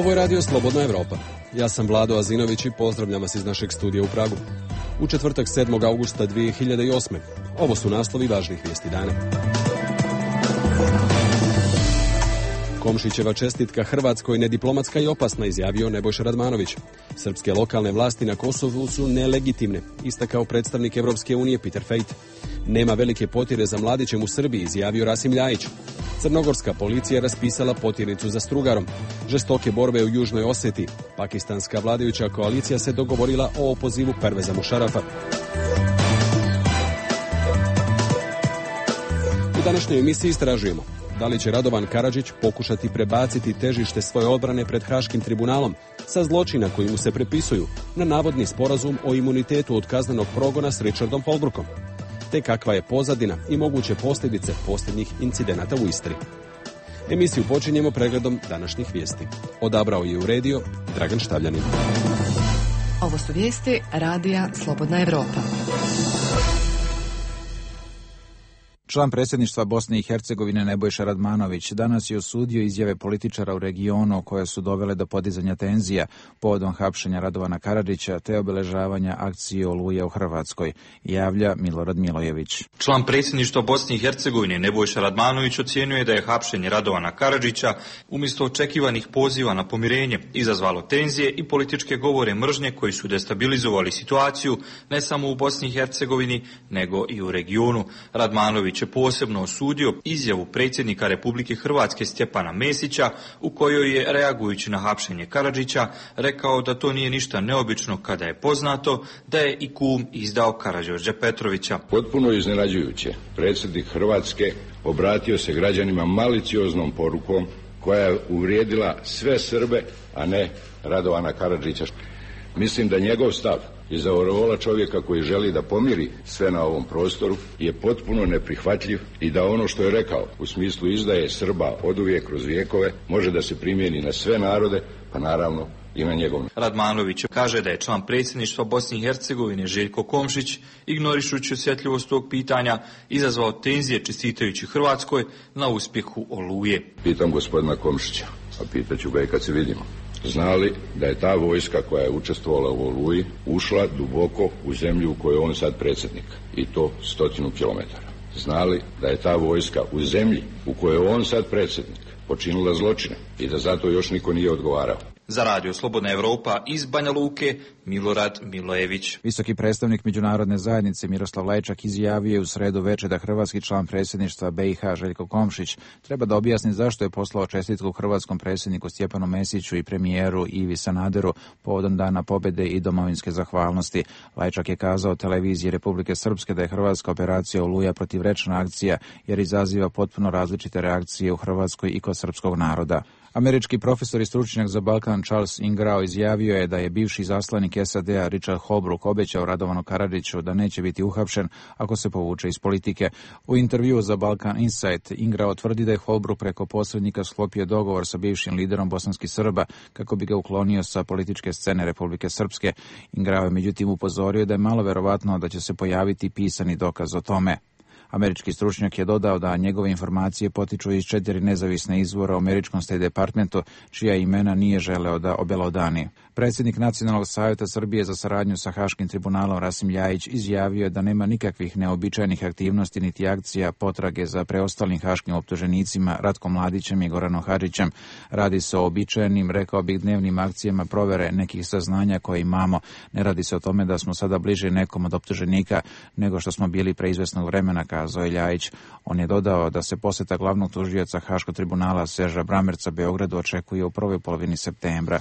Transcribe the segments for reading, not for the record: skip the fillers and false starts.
Ovo je radio Slobodna Evropa. Ja sam Vlado Azinović i pozdravljam vas iz našeg studija u Pragu. U četvrtak 7. augusta 2008. Ovo su naslovi važnih vijesti dana. Komšićeva čestitka Hrvatskoj nediplomatska i opasna, izjavio Nebojša Radmanović. Srpske lokalne vlasti na Kosovu su nelegitimne, istakao predstavnik Evropske unije Peter Fejt. Nema velike potjere za mladićem u Srbiji, izjavio Rasim Ljajić. Crnogorska policija raspisala potjernicu za Strugarom. Žestoke borbe u Južnoj Oseti. Pakistanska vladajuća koalicija se dogovorila o opozivu Perveza Mušarafa. U današnjoj emisiji istražujemo da li će Radovan Karadžić pokušati prebaciti težište svoje odbrane pred Haškim tribunalom sa zločina koji mu se prepisuju na navodni sporazum o imunitetu od kaznenog progona s Richardom Holbrookom, te kakva je pozadina i moguće posljedice posljednjih incidenata u Istri. Emisiju počinjemo pregledom današnjih vijesti. Odabrao je i uredio Dragan Štavljanin. Ovo su vijesti radija Slobodna Evropa. Član predsjedništva Bosne i Hercegovine Nebojša Radmanović danas je osudio izjave političara u regionu koje su dovele do podizanja tenzija povodom hapšenja Radovana Karadžića te obeležavanja akcije Oluja u Hrvatskoj, javlja Milorad Milojević. Član predsjedništva Bosne i Hercegovine Nebojša Radmanović ocijenio je da je hapšenje Radovana Karadžića umjesto očekivanih poziva na pomirenje izazvalo tenzije i političke govore mržnje koji su destabilizovali situaciju ne samo u Bosni i Hercegovini nego i u regionu. Radmanović je posebno osudio izjavu predsjednika Republike Hrvatske Stjepana Mesića u kojoj je, reagujući na hapšenje Karadžića, rekao da to nije ništa neobično kada je poznato da je i kum izdao Karađorđa Petrovića. Potpuno iznenađujuće, predsjednik Hrvatske obratio se građanima malicioznom porukom koja je uvrijedila sve Srbe, a ne Radovana Karadžića. Mislim da njegov stav iz aureola čovjeka koji želi da pomiri sve na ovom prostoru je potpuno neprihvatljiv i da ono što je rekao u smislu izdaje Srba oduvijek kroz vijekove može da se primijeni na sve narode, pa naravno i na njegov. Radmanović kaže da je član predsjedništva Bosne i Hercegovine Željko Komšić, ignorišući osjetljivost tog pitanja, izazvao tenzije čestitajući Hrvatskoj na uspjehu Oluje. Pitam gospodina Komšića, a pitaću ga i kad se vidimo. Zna li da je ta vojska koja je učestvovala u Oluji ušla duboko u zemlju u kojoj je on sad predsjednik, i to 100 kilometara? Zna li da je ta vojska u zemlji u kojoj je on sad predsjednik počinila zločine i da zato još niko nije odgovarao? Za radio Slobodna Evropa iz Banja Luke, Milorad Milojević. Visoki predstavnik međunarodne zajednice Miroslav Lajčak izjavio je u sredu večer da hrvatski član predsjedništva BiH Željko Komšić treba da objasni zašto je poslao čestitku hrvatskom predsjedniku Stjepanu Mesiću i premijeru Ivi Sanaderu povodom Dana pobjede i domovinske zahvalnosti. Lajčak je kazao televiziji Republike Srpske da je hrvatska operacija Oluja protivrečna akcija jer izaziva potpuno različite reakcije u Hrvatskoj i kod srpskog naroda. Američki profesor i stručnjak za Balkan Charles Ingrao izjavio je da je bivši zaslanik SAD-a Richard Holbrooke obećao Radovanu Karadžiću da neće biti uhapšen ako se povuče iz politike. U intervjuu za Balkan Insight Ingrao tvrdi da je Holbrooke preko posrednika sklopio dogovor sa bivšim liderom bosanskih Srba kako bi ga uklonio sa političke scene Republike Srpske. Ingrao je međutim upozorio da je malo verovatno da će se pojaviti pisani dokaz o tome. Američki stručnjak je dodao da njegove informacije potiču iz 4 nezavisne izvora u američkom State Departmentu, čija imena nije želeo da obelodani. Predsjednik Nacionalnog savjeta Srbije za saradnju sa Haškim tribunalom Rasim Ljajić izjavio je da nema nikakvih neobičajnih aktivnosti niti akcija potrage za preostalim haškim optuženicima Ratkom Mladićem i Goranom Hadžićem. Radi se o običajnim, rekao bih, dnevnim akcijama provere nekih saznanja koje imamo. Ne radi se o tome da smo sada bliže nekom od optuženika nego što smo bili pre izvesnog vremena, kazao je Ljajić. On je dodao da se posjeta glavnog tužioca Haškog tribunala Serža Bramerca Beogradu očekuje u prvoj polovini septembra.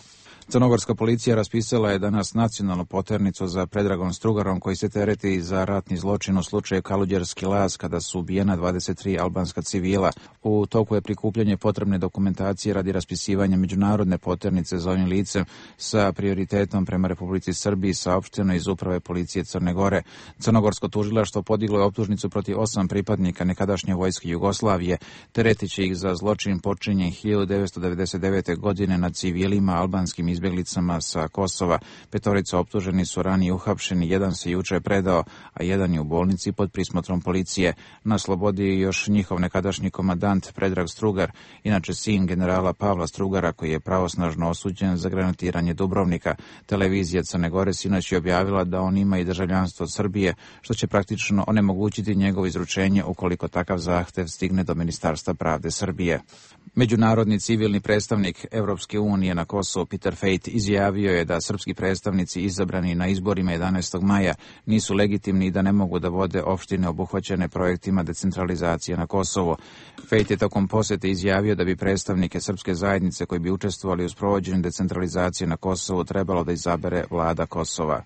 Crnogorska policija raspisala je danas nacionalnu poternicu za Predragom Strugarom koji se tereti za ratni zločin u slučaju Kaluđerski Laz kada su ubijena 23 albanska civila. U toku je prikupljanje potrebne dokumentacije radi raspisivanja međunarodne poternice za ovim licem sa prioritetom prema Republici Srbiji, saopšteno iz Uprave policije Crne Gore. Crnogorsko tužilaštvo podiglo je optužnicu protiv 8 pripadnika nekadašnje vojske Jugoslavije, teretići ih za zločin počinjen 1999. godine nad civilima albanskim izbjeglicama sa Kosova. 5 optuženi su ranije uhapšeni, jedan se jučer predao, a jedan je u bolnici pod prismotrom policije. Na slobodi je još njihov nekadašnji komandant Predrag Strugar, inače sin generala Pavla Strugara, koji je pravosnažno osuđen za granatiranje Dubrovnika. Televizija Crne Gore sinoć je objavila da on ima i državljanstvo od Srbije, što će praktično onemogućiti njegovo izručenje ukoliko takav zahtev stigne do Ministarstva pravde Srbije. Međunarodni civilni predstavnik Europske unije na Kosovu Peter Fejt izjavio je da srpski predstavnici izabrani na izborima 11. maja nisu legitimni i da ne mogu da vode opštine obuhvaćene projektima decentralizacije na Kosovu. Fejt je tokom posete izjavio da bi predstavnike srpske zajednice koji bi učestvovali u sprovođenju decentralizacije na Kosovu trebalo da izabere vlada Kosova.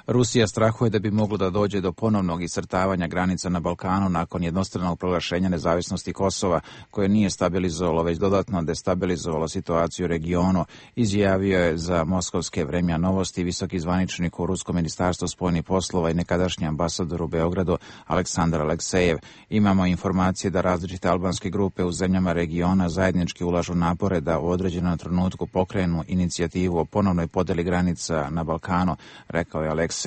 Rusija strahuje da bi moglo da dođe do ponovnog iscrtavanja granica na Balkanu nakon jednostranog proglašenja nezavisnosti Kosova, koje nije stabilizovalo, već dodatno destabilizovalo situaciju u regionu, izjavio je za moskovske Vremja Novosti visoki zvaničnik u Ruskom ministarstvu spoljnih poslova i nekadašnji ambasador u Beogradu Aleksandar Aleksejev. Imamo informacije da različite albanske grupe u zemljama regiona zajednički ulažu napore da u određenom trenutku pokrenu inicijativu o ponovnoj podeli granica na Balkanu, rekao je Aleksejev.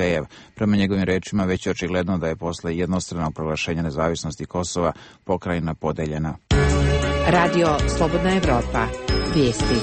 Prema njegovim rečima već je očigledno da je posle jednostranog proglašenja nezavisnosti Kosova pokrajina podeljena. Radio Slobodna Evropa. Vijesti.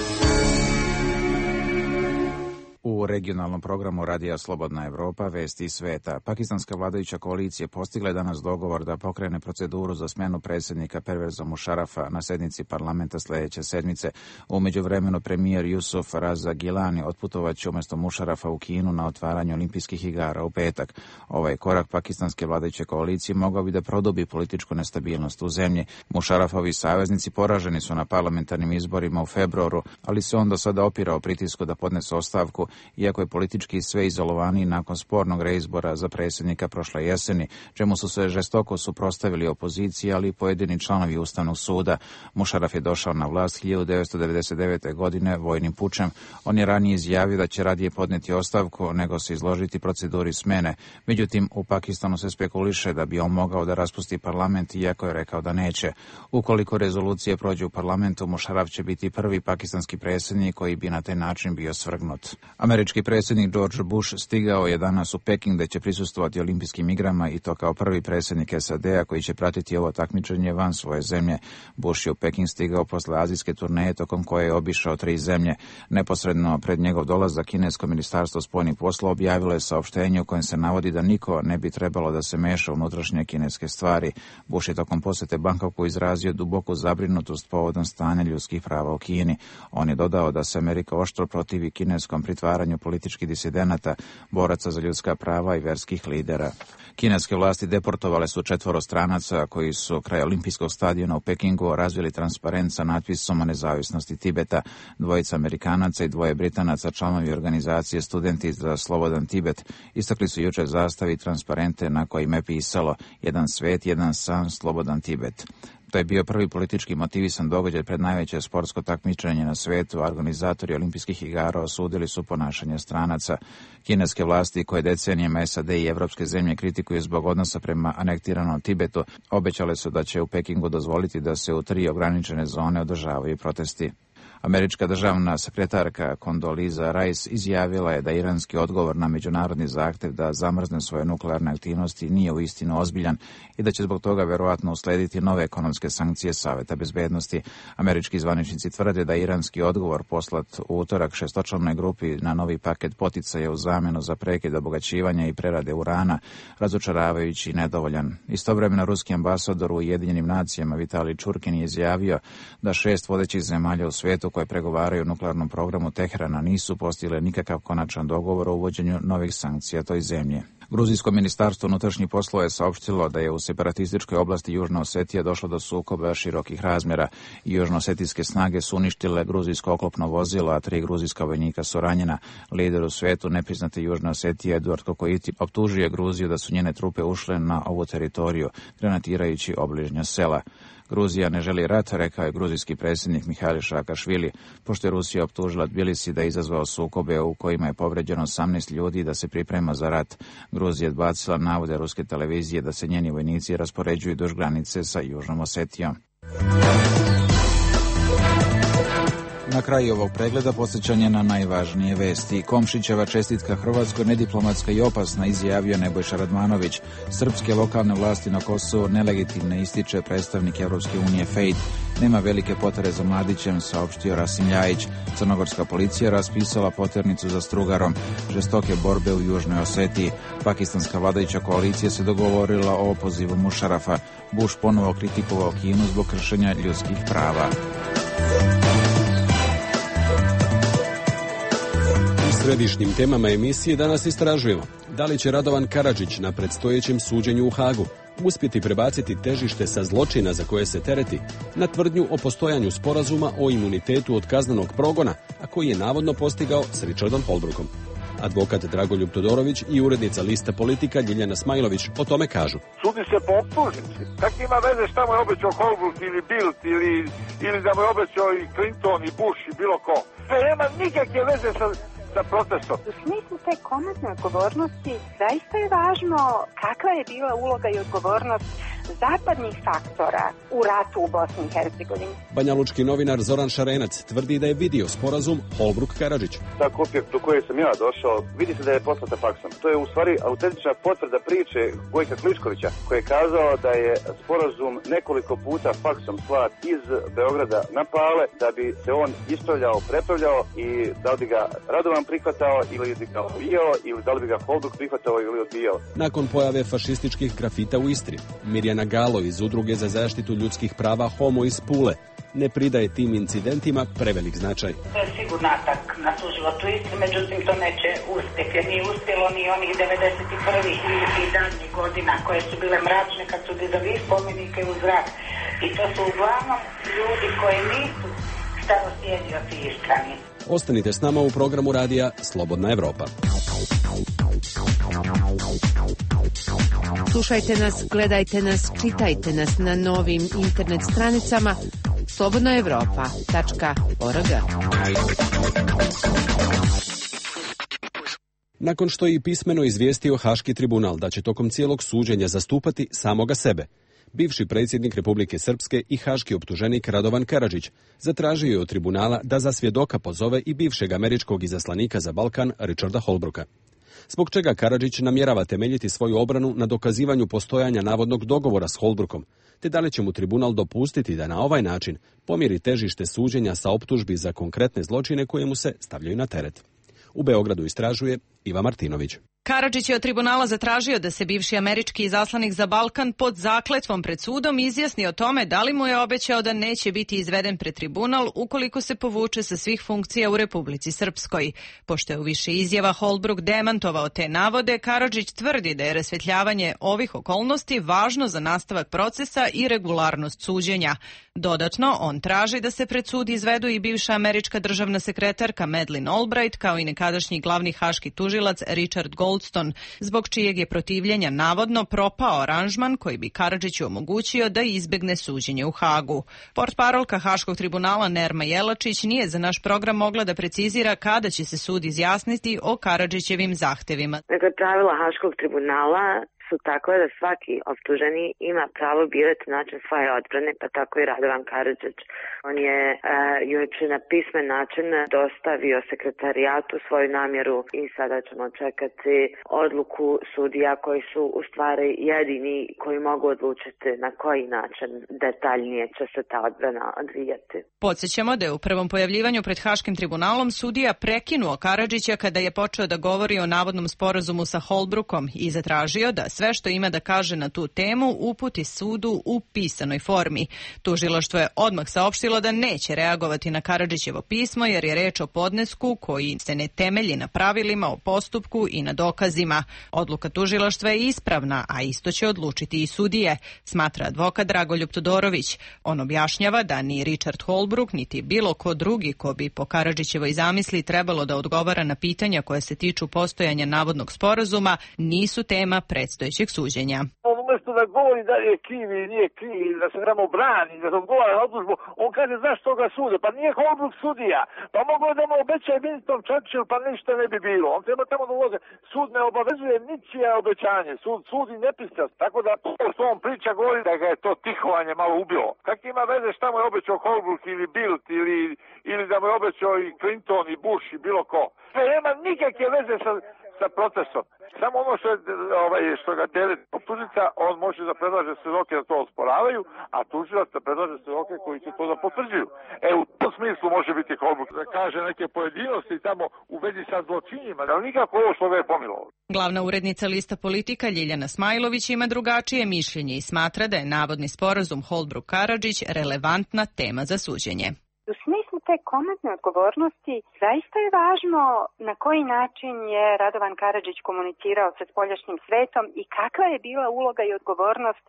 U regionalnom programu Radija Slobodna Evropa vesti iz sveta. Pakistanska vladajuća koalicija postigla je danas dogovor da pokrene proceduru za smjenu predsjednika Perveza Mušarafa na sednici parlamenta sljedeće sedmice. U međuvremenu premijer Jusuf Raza Gilani otputovaće umjesto Mušarafa u Kinu na otvaranje olimpijskih igara u petak. Ovaj korak pakistanske vladajuće koalicije mogao bi da produbi političku nestabilnost u zemlji. Mušarafovi saveznici poraženi su na parlamentarnim izborima u februaru, ali se on do sada opirao pritisku da podnese ostavku, iako je politički sve izolovaniji nakon spornog reizbora za predsjednika prošle jeseni, čemu su se žestoko suprotstavili opoziciji, ali i pojedini članovi Ustavnog suda. Mušaraf je došao na vlast 1999. godine vojnim pučem. On je ranije izjavio da će radije podneti ostavku nego se izložiti proceduri smene. Međutim, u Pakistanu se spekuliše da bi on mogao da raspusti parlament, iako je rekao da neće. Ukoliko rezolucije prođe u parlamentu, Mušaraf će biti prvi pakistanski predsjednik koji bi na taj način bio svrgnut. Američki predsjednik George Bush stigao je danas u Peking gdje će prisustvovati olimpijskim igrama i to kao prvi predsjednik SAD-a koji će pratiti ovo takmičenje van svoje zemlje. Bush je u Peking stigao posle azijske turneje tokom koje je obišao 3 zemlje. Neposredno pred njegov dolazak kinesko ministarstvo spoljnih poslova objavilo je saopštenje u kojem se navodi da niko ne bi trebalo da se meša u unutrašnje kineske stvari. Bush je tokom posjete Bangkoku izrazio duboku zabrinutost povodom stanja ljudskih prava u Kini. On je dodao da se Amerika oštro protivi kineskom pritvaranju političkih disidenata, boraca za ljudska prava i verskih lidera. Kineske vlasti deportovale su 4 stranaca koji su kraj olimpijskog stadiona u Pekingu razvili transparent sa natpisom o nezavisnosti Tibeta. 2 Amerikanaca i 2 Britanaca, članovi organizacije Studenti za slobodan Tibet, istakli su jučer zastavi i transparente na kojima je pisalo "Jedan svet, jedan san, slobodan Tibet". To je bio prvi politički motivisan događaj pred najveće sportsko takmičenje na svijetu. Organizatori olimpijskih igara osudili su ponašanje stranaca. Kineske vlasti, koje decenijama SAD i evropske zemlje kritikuju zbog odnosa prema anektiranom Tibetu, obećale su da će u Pekingu dozvoliti da se u 3 ograničene zone održavaju protesti. Američka državna sekretarka Condoleezza Rice izjavila je da iranski odgovor na međunarodni zahtev da zamrzne svoje nuklearne aktivnosti nije uistinu ozbiljan i da će zbog toga verovatno uslediti nove ekonomske sankcije Saveta bezbednosti. Američki zvaničnici tvrde da iranski odgovor poslat u utorak 6-članoj grupi na novi paket poticaja u zamjenu za prekid obogaćivanja i prerade urana, razočaravajući i nedovoljan. Istovremeno ruski ambasador u Ujedinjenim nacijama Vitalij Čurkin je izjavio da 6 vodećih zemalja u svijetu koje pregovaraju o nuklearnom programu Teherana nisu postigle nikakav konačan dogovor o uvođenju novih sankcija toj zemlji. Gruzijsko ministarstvo unutrašnjih poslova je saopštilo da je u separatističkoj oblasti Južna Osetija došlo do sukoba širokih razmjera. Južnoosetijske snage su uništile gruzijsko oklopno vozilo, a 3 gruzijska vojnika su ranjena. Lider u svijetu nepriznate Južne Osetije Eduard Kokoiti optužuje Gruziju da su njene trupe ušle na ovu teritoriju, granatirajući obližnja sela. Gruzija ne želi rat, rekao je gruzijski predsjednik Mihail Saakašvili, pošto je Rusija optužila Tbilisi da je izazvao sukobe u kojima je povređeno 18 ljudi i da se priprema za rat. Gruzija je odbacila navode ruske televizije da se njeni vojnici raspoređuju duž granice sa Južnom Osetijom. Na kraju ovog pregleda podsjećanje na najvažnije vesti. Komšićeva čestitka Hrvatskoj nediplomatska i opasna, izjavio Nebojša Radmanović. Srpske lokalne vlasti na Kosovu nelegitimne, ističe predstavnik Europske unije Fejt. Nema velike potrebe za Mladićem, saopštio Rasim Ljajić. Crnogorska policija raspisala poternicu za Strugarom. Žestoke borbe u Južnoj Osetiji. Pakistanska vladajuća koalicija se dogovorila o opozivu Mušarafa. Bush ponovo kritikovao Kinu zbog kršenja ljudskih prava. U središnjim temama emisije danas istražujemo da li će Radovan Karadžić na predstojećem suđenju u Hagu uspjeti prebaciti težište sa zločina za koje se tereti na tvrdnju o postojanju sporazuma o imunitetu od kaznenog progona, a koji je navodno postigao s Richardom Holbrookom. Advokat Dragoljub Todorović i urednica Lista Politika Ljiljana Smajlović o tome kažu. Sudi se po optužnici. Kak ima veze šta mu je obećao Holbrook ili Bildt ili da mu je obećao i Clinton i Bush i bilo ko. Sve nema nikakve veze sa protestom. U smislu te konačne odgovornosti zaista je važno kakva je bila uloga i odgovornost zapadnih faktora u ratu u Bosni i Hercegovini. Banjalučki novinar Zoran Šarenac tvrdi da je vidio sporazum Holbrooke-Karadžić. Ta kopija do koje sam ja došao, vidi se da je poslata faksom. To je u stvari autentična potvrda priče Gojka Kliškovića, koji je kazao da je sporazum nekoliko puta faksom slat iz Beograda na Pale, da bi se on ispravljao, prepravljao i da li bi ga Radovan prihvatao ili bi ga odbijao ili da li bi ga Holbrook prihvatao ili odbijao. Nakon pojave fašističkih grafita u Istri, Mirjana Galo iz Udruge za zaštitu ljudskih prava Homo iz Pule ne pridaje tim incidentima prevelik značaj. To je sigurno atak na suživot u Istri, međutim to neće uspjeti, jer nije uspjelo ni onih 91. i daljnjih godina koje su bile mračne kad su dizali spomenike u zrak. I to su uglavnom ljudi koji nisu starosjedioci Istrani. Ostanite s nama u programu radija Slobodna Evropa. Slušajte nas, gledajte nas, čitajte nas na novim internet stranicama slobodnaevropa.org. Nakon što je i pismeno izvijestio Haški tribunal da će tokom cijelog suđenja zastupati samoga sebe, bivši predsjednik Republike Srpske i haški optuženik Radovan Karadžić zatražio je od tribunala da za svjedoka pozove i bivšeg američkog izaslanika za Balkan Richarda Holbrooka. Zbog čega Karadžić namjerava temeljiti svoju obranu na dokazivanju postojanja navodnog dogovora s Holbrookom, te da li će mu tribunal dopustiti da na ovaj način pomiri težište suđenja sa optužbi za konkretne zločine koje mu se stavljaju na teret. U Beogradu istražuje Iva Martinović. Karadžić je od tribunala zatražio da se bivši američki izaslanik za Balkan pod zakletvom pred sudom izjasni o tome da li mu je obećao da neće biti izveden pred tribunal ukoliko se povuče sa svih funkcija u Republici Srpskoj. Pošto je u više izjava Holbrook demantovao te navode, Karadžić tvrdi da je rasvetljavanje ovih okolnosti važno za nastavak procesa i regularnost suđenja. Dodatno, on traži da se pred sud izvedu i bivša američka državna sekretarka Madeleine Albright kao i nekadašnji glavni haški tužilac Richard Goldstone, zbog čijeg je protivljenja navodno propao aranžman koji bi Karadžiću omogućio da izbegne suđenje u Hagu. Portparolka Haškog tribunala Nerma Jelačić nije za naš program mogla da precizira kada će se sud izjasniti o Karadžićevim zahtevima. Dakle, pravila Haškog tribunala su takve da svaki optuženi ima pravo birati način svoje odbrane, pa tako i Radovan Karadžić. On je juče na pismen način dostavio sekretarijatu svoju namjeru i sada ćemo čekati odluku sudija koji su u stvari jedini koji mogu odlučiti na koji način detaljnije će se ta odbrana odvijati. Podsjećamo da je u prvom pojavljivanju pred Haškim tribunalom sudija prekinuo Karadžića kada je počeo da govori o navodnom sporazumu sa Holbrookom i zatražio da sve što ima da kaže na tu temu uputi sudu u pisanoj formi. Tužilaštvo je odmah saopštilo da neće reagovati na Karadžićevo pismo jer je reč o podnesku koji se ne temelji na pravilima o postupku i na dokazima. Odluka tužilaštva je ispravna, a isto će odlučiti i sudije, smatra advokat Dragoljub Todorović. On objašnjava da ni Richard Holbrook niti bilo ko drugi ko bi po Karadžićevoj zamisli trebalo da odgovara na pitanja koje se tiču postojanja navodnog sporazuma nisu tema predstojećeg suđenja. Umesto da govori da je kriv ili nije kriv, da se tamo brani, da se odgovara na optužbu, on kaže zašto ga sude, pa nije Holbrooke sudija, pa mogu da mu obećaje Winston Churchill, pa ništa ne bi bilo. On treba tamo da ulože. Sud ne obavezuje ničije obećanje, sud sudi nepristrast, tako da to što on priča govori da ga je to tihovanje malo ubilo. Kak ima veze šta mu je obećao Holbrooke ili Bildt ili da mu je obećao i Clinton i Bush i bilo ko. Sve nema nikakve veze sa protestom. Samo ono što ga teret optužnica, on može da predlaže svedoke da to osporavaju, a tužilac da predlaže svedoke koji će to da potvrđuju. U tom smislu može biti Holbrooke da kaže neke pojedinosti tamo u vezi sa zločinima, ali nikako ovo što ga je pomilovalo. Glavna urednica Lista Politika Ljiljana Smajlović ima drugačije mišljenje i smatra da je navodni sporazum Holbrooke-Karadžić relevantna tema za suđenje. U smislu te komentne odgovornosti zaista je važno na koji način je Radovan Karadžić komunicirao sa spoljašnjim svetom i kakva je bila uloga i odgovornost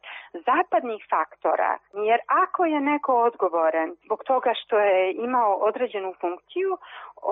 zapadnih faktora. Jer ako je neko odgovoran zbog toga što je imao određenu funkciju,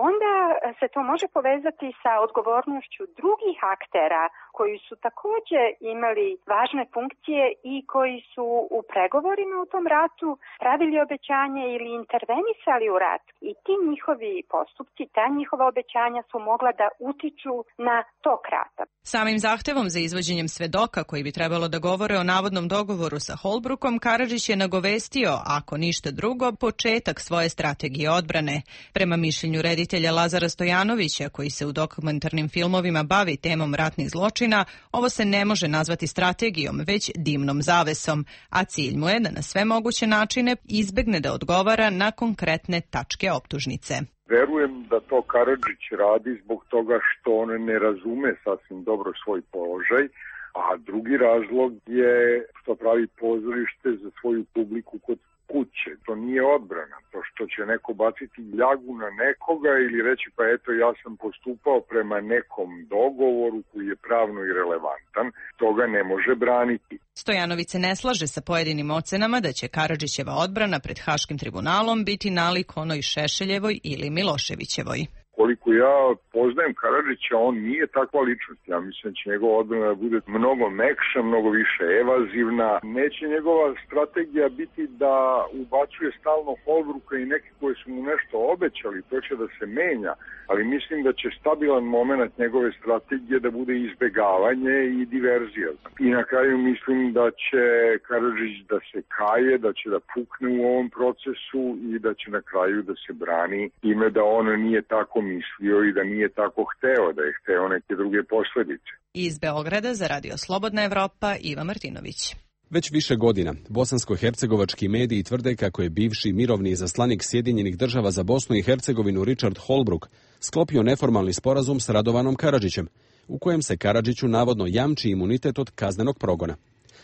onda se to može povezati sa odgovornošću drugih aktera koji su također imali važne funkcije i koji su u pregovorima u tom ratu pravili obećanje ili intervenisali u rat. I ti njihovi postupci, ta njihova obećanja su mogla da utiču na tok rata. Samim zahtevom za izvođenjem svedoka koji bi trebalo da govore o navodnom dogovoru sa Holbrookom, Karadžić je nagovestio, ako ništa drugo, početak svoje strategije odbrane. Prema mišljenju reditelja Lazara Stojanovića, koji se u dokumentarnim filmovima bavi temom ratnih zločina, ovo se ne može nazvati strategijom, već dimnom zavesom, a cilj mu je da na sve moguće načine izbegne da odgovara na konkretne tačke optužnice. Verujem da to Karadžić radi zbog toga što on ne razume sasvim dobro svoj položaj, a drugi razlog je što pravi pozorište za svoju publiku kod kuće. To nije odbrana. To što će neko baciti ljagu na nekoga ili reći pa eto ja sam postupao prema nekom dogovoru koji je pravno irelevantan, toga ne može braniti. Stojanović se ne slaže sa pojedinim ocenama da će Karadžićeva odbrana pred Haškim tribunalom biti nalik onoj Šešeljevoj ili Miloševićevoj. Koliko ja poznajem Karadžića, on nije takva ličnost. Ja mislim da će njegova odbrana bude mnogo mekša, mnogo više evazivna. Neće njegova strategija biti da ubacuje stalno Holbrooka i neke koji su mu nešto obećali, to će da se menja, ali mislim da će stabilan moment njegove strategije da bude izbegavanje i diverzija. I na kraju mislim da će Karadžić da se kaje, da će da pukne u ovom procesu i da će na kraju da se brani ime da on nije tako mislio i da nije tako hteo, da je hteo neke druge posledice. Iz Beograda za Radio Slobodna Evropa, Iva Martinović. Već više godina bosansko-hercegovački mediji tvrde kako je bivši mirovni izaslanik Sjedinjenih država za Bosnu i Hercegovinu Richard Holbrooke sklopio neformalni sporazum s Radovanom Karadžićem, u kojem se Karadžiću navodno jamči imunitet od kaznenog progona.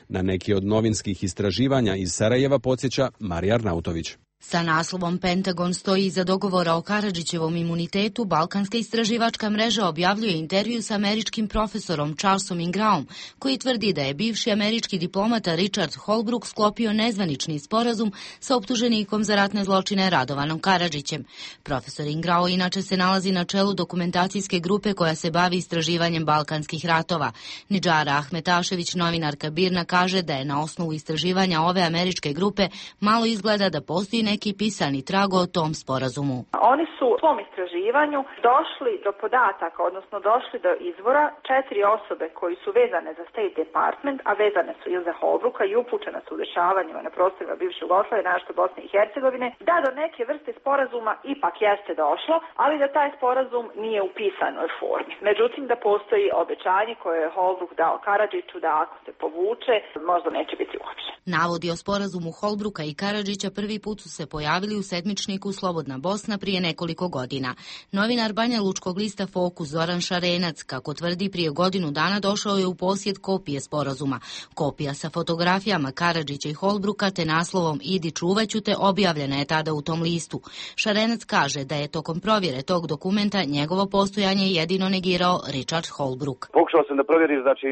Na neki od novinskih istraživanja iz Sarajeva podsjeća Marija Arnautović. Sa naslovom Pentagon stoji iza dogovora o Karadžićevom imunitetu, Balkanska istraživačka mreža objavljuje intervju sa američkim profesorom Charlesom Ingraom, koji tvrdi da je bivši američki diplomata Richard Holbrooke sklopio nezvanični sporazum sa optuženikom za ratne zločine Radovanom Karadžićem. Profesor Ingrao inače se nalazi na čelu dokumentacijske grupe koja se bavi istraživanjem balkanskih ratova. Nidžara Ahmetašević, novinarka BIRN-a, kaže da je na osnovu istraživanja ove američke grupe malo izgleda da postoji neki pisani trag o tom sporazumu. Oni su u svom istraživanju došli do podataka, odnosno došli do izvora 4 osobe koji su vezane za State Department, a vezane su i za Holbrooka i upućene su u dešavanjima na prostorima bivše Jugoslavije, naročito Bosne i Hercegovine, da do neke vrste sporazuma ipak jeste došlo, ali da taj sporazum nije u pisanoj formi. Međutim, da postoji obećanje koje je Holbrooke dao Karadžiću da ako se povuče, možda neće biti uopće. Navodi o sporazumu Holbrooka i Karadžića prvi put su se pojavili u sedmičniku Slobodna Bosna prije nekoliko godina. Novinar Banja Lučkog lista Fokus Zoran Šarenac, kako tvrdi, prije godinu dana došao je u posjed kopije sporazuma. Kopija sa fotografijama Karadžića i Holbrooka te naslovom Idi čuvaću te objavljena je tada u tom listu. Šarenac kaže da je tokom provjere tog dokumenta njegovo postojanje jedino negirao Richard Holbrooke. Pokušao sam da provjerim, znači,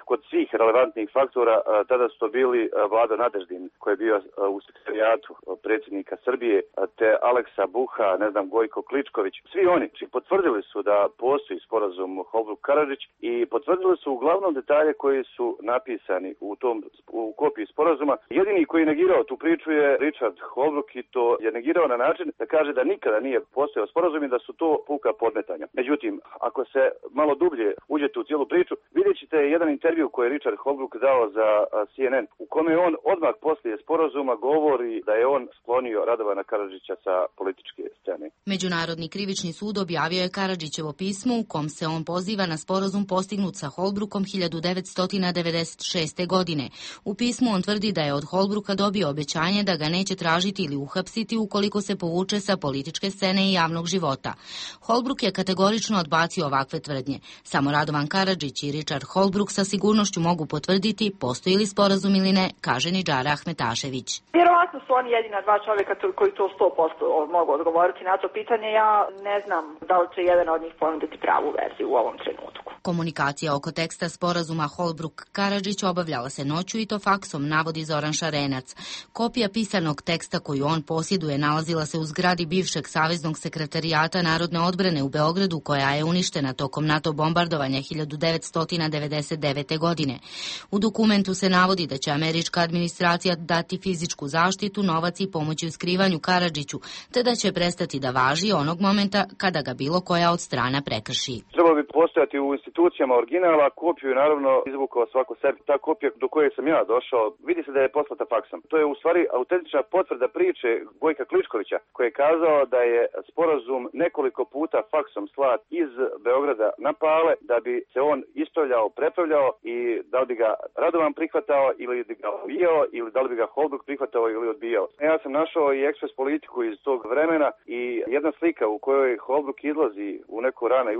kod svih relevantnih faktora, tada su to bili Vlado Nadeždin koji je bio u sekretarijatu predsjednika Srbije, te Aleksa Buha, Gojko Kličković, svi oni potvrdili su da postoji sporazum Holbruk-Karadžić i potvrdili su uglavnom detalje koji su napisani u kopiji sporazuma. Jedini koji je negirao tu priču je Richard Holbruk i to je negirao na način da kaže da nikada nije postojao sporazum i da su to puka podmetanja. Međutim, ako se malo dublje uđete u cijelu priču, vidjet ćete jedan intervju koji je Richard Holbruk dao za CNN, u kome on odmah poslije sporazuma govori da je on sklonio Radovana Karadžića sa političke scene. Međunarodni krivični sud objavio je Karadžićevo pismo u kom se on poziva na sporazum postignut sa Holbrukom 1996. godine. U pismu on tvrdi da je od Holbruka dobio obećanje da ga neće tražiti ili uhapsiti ukoliko se povuče sa političke scene i javnog života. Holbruk je kategorično odbacio ovakve tvrdnje. Samo Radovan Karadžić i Richard Holbruk sa sigurnošću mogu potvrditi postoji li sporazum ili ne, kaže Nidžara Ahmetašević. Vjerovatno su oni jedina dva čovjeka koji to 100% mogu odgovoriti na to pitanje. Ja ne znam da li će jedan od njih ponuditi pravu verziju u ovom trenutku. Komunikacija oko teksta sporazuma Holbruk-Karadžić obavljala se noću i to faksom, navodi Zoran Šarenac. Kopija pisanog teksta koju on posjeduje nalazila se u zgradi bivšeg Saveznog sekretarijata Narodne odbrane u Beogradu, koja je uništena tokom NATO bombardovanja 1999. godine. U dokumentu se navodi da će američka administracija dati fizičku zaštitu, novac i pomoći u skrivanju Karadžiću, te da će prestati da važi onog momenta kada ga bilo koja od strana prekrši. Trebalo bi postojati u institucijama originala, kopiju je naravno izvukao svako sebi. Ta kopija do koje sam ja došao, vidi se da je poslata faksom. To je u stvari autentična potvrda priče Gojka Kličkovića, koji je kazao da je sporazum nekoliko puta faksom slat iz Beograda na Pale, da bi se on ispravljao, prepravljao i da li bi ga Radovan prihvatao ili bi ga odbijao ili da li bi ga Holbruk prihvatao ili odbijao. Ja sam našao i ekspres politiku iz tog vremena i jedna slika u kojoj Holbruk izlazi u neku rane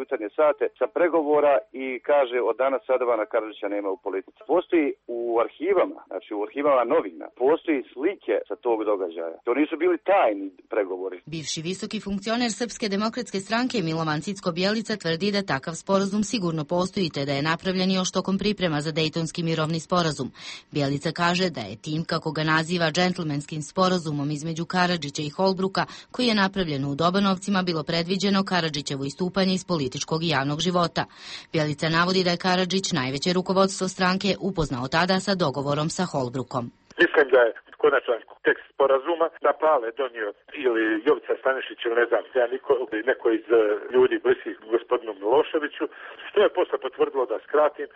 jutarnje sate sa pregovora i kaže od danas Radovana Karadžića nema u politici. Postoji u arhivama, znači u arhivama novina, postoji slike sa tog događaja. To nisu bili tajni pregovori. Bivši visoki funkcioner Srpske demokratske stranke Milovan Cicko-Bjelica tvrdi da takav sporazum sigurno postoji te da je napravljen još tokom priprema za Dejtonski mirovni sporazum. Bjelica kaže da je tim, kako ga naziva, džentlmenskim sporazumom između Karadžića i Holbruka, koji je napravljen u Dobanovcima, bilo predviđeno Karadžićevo istupanje iz političkog i javnog života. Bjelica navodi da je Karadžić najveće rukovodstvo stranke upoznao tada sa dogovorom sa Holbrukom. Mislim da je konačan tekst sporazuma na Pale donio ili Jovica Stanišić ili ne znam, neko iz ljudi bliskih gospodinu Miloševiću, što je posle potvrdilo, da skratim,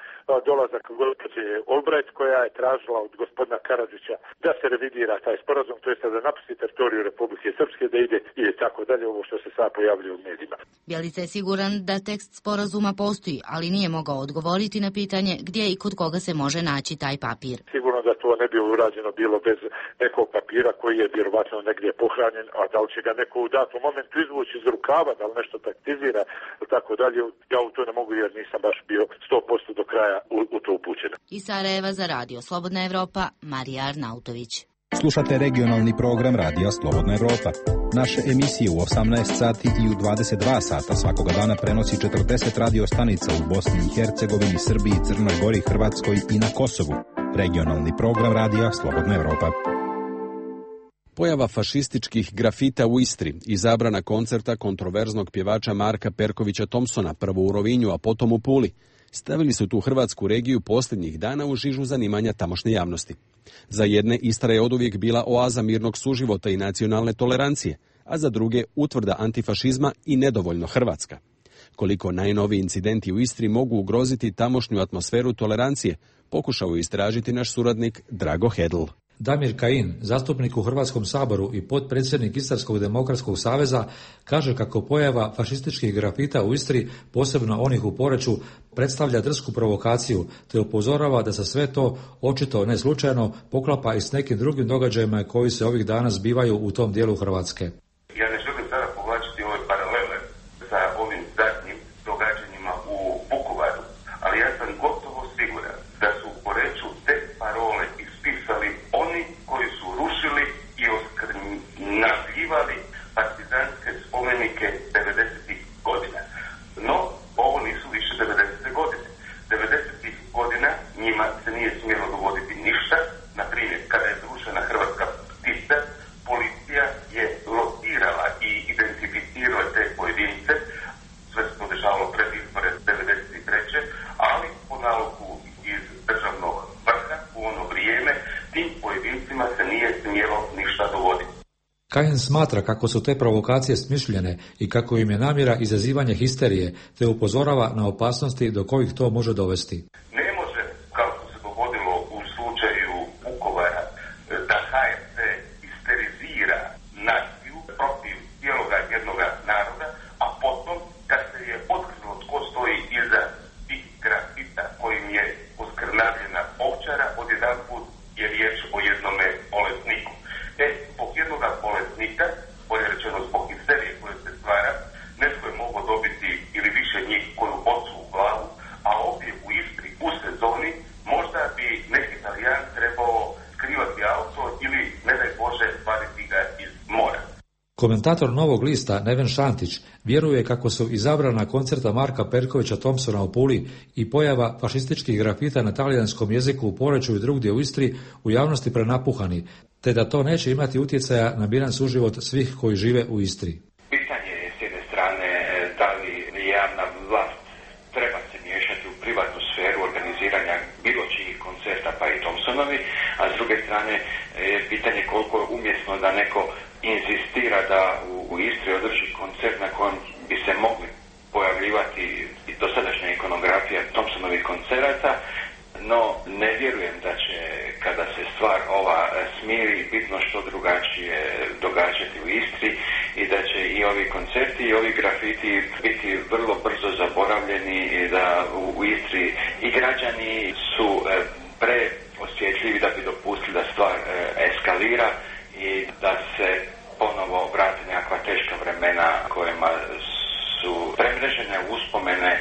dolazak gospođe Olbrajt, koja je tražila od gospodina Karadžića da se revidira taj sporazum, to jest da napusti teritoriju Republike Srpske, da ide i tako dalje, ovo što se sad pojavljuje u medijima. Bjelica je siguran da tekst sporazuma postoji, ali nije mogao odgovoriti na pitanje gdje i kod koga se može naći taj papir. Sigurno da to ne bi urađeno bilo bez nekog papira koji je vjerovatno negdje pohranjen, a da li će ga neko u datom momentu izvući iz rukava, da li nešto taktizira ili tako dalje, ja u to ne mogu jer nisam baš bio 100% do kraja u to upućen. Iz Sarajeva za Radio Slobodna Evropa, Marija Arnautović. Slušate regionalni program Radija Slobodna Evropa. Naše emisije u 18 sati i u 22 sata svakoga dana prenosi 40 radio stanica u Bosni i Hercegovini, Srbiji, Crnoj Gori, Hrvatskoj i na Kosovu. Regionalni program Radija Slobodna Evropa. Pojava fašističkih grafita u Istri i zabrana koncerta kontroverznog pjevača Marka Perkovića Thompsona, prvo u Rovinju, a potom u Puli, stavili su tu hrvatsku regiju posljednjih dana u žižu zanimanja tamošnje javnosti. Za jedne Istra je oduvijek bila oaza mirnog suživota i nacionalne tolerancije, a za druge utvrda antifašizma i nedovoljno Hrvatska. Koliko najnoviji incidenti u Istri mogu ugroziti tamošnju atmosferu tolerancije, pokušao je istražiti naš suradnik Drago Hedl. Damir Kajin, zastupnik u Hrvatskom saboru i potpredsjednik Istarskog demokratskog saveza, kaže kako pojava fašističkih grafita u Istri, posebno onih u Poreču, predstavlja drsku provokaciju, te upozorava da se sve to, očito ne slučajno, poklapa i s nekim drugim događajima koji se ovih dana zbivaju u tom dijelu Hrvatske. Ja ne želim sada povlačiti ove paralele sa ovim zadnjim događanjima u Vukovaru, ali ja sam gotovo siguran da su u Poreču te parole ispisali oni koji su rušili i nazivali partizanske spomenike 90-ih godina. No, ovo nisu više 90. godine. 90-ih godina njima se nije smjelo dogoditi ništa Kajin smatra kako su te provokacije smišljene i kako im je namjera izazivanje histerije, te upozorava na opasnosti do kojih to može dovesti. Ne može, kao što se dogodilo u slučaju Vukovara, da HRT histerizira naciju protiv cijeloga jednoga naroda, a potom kad se je otkrilo tko stoji iza tih grafita kojim je oskrnavljena Ovčara, odjedanput je riječ o jednome bolesniku. Zbog jednoga bolesnika, bolje rečeno zbog histerije koje se stvara, netko je mogao dobiti ili više njih koju bocu u glavu, a ovdje u Istri u sezoni možda bi neki Talijan trebao skrivati auto ili, ne daj Bože, vaditi ga iz mora. Komentator Novog lista Neven Šantić vjeruje kako su izabrana koncerta Marka Perkovića Thompsona u Puli i pojava fašističkih grafita na talijanskom jeziku u Poreču i drugdje u Istri u javnosti prenapuhani, te da to neće imati utjecaja na miran suživot svih koji žive u Istri. Pitanje je s jedne strane da li javna vlast treba se miješati u privatnu sferu organiziranja bilo čijih koncerta pa i Thompsonovi, a s druge strane je pitanje koliko je umjesno da neko inzistira da u Istri održi koncert na kojem bi se mogli pojavljivati i dosadašnja ikonografija Thompsonovih koncerata, no ne vjerujem da će, kada se stvar ova smiri, bitno što drugačije događati u Istri i da će i ovi koncerti i ovi grafiti biti vrlo brzo zaboravljeni i da u Istri i građani su preosjetljivi da bi dopustili da stvar eskalira i da se ponovo vrati nekakva teška vremena kojima su premrežene uspomene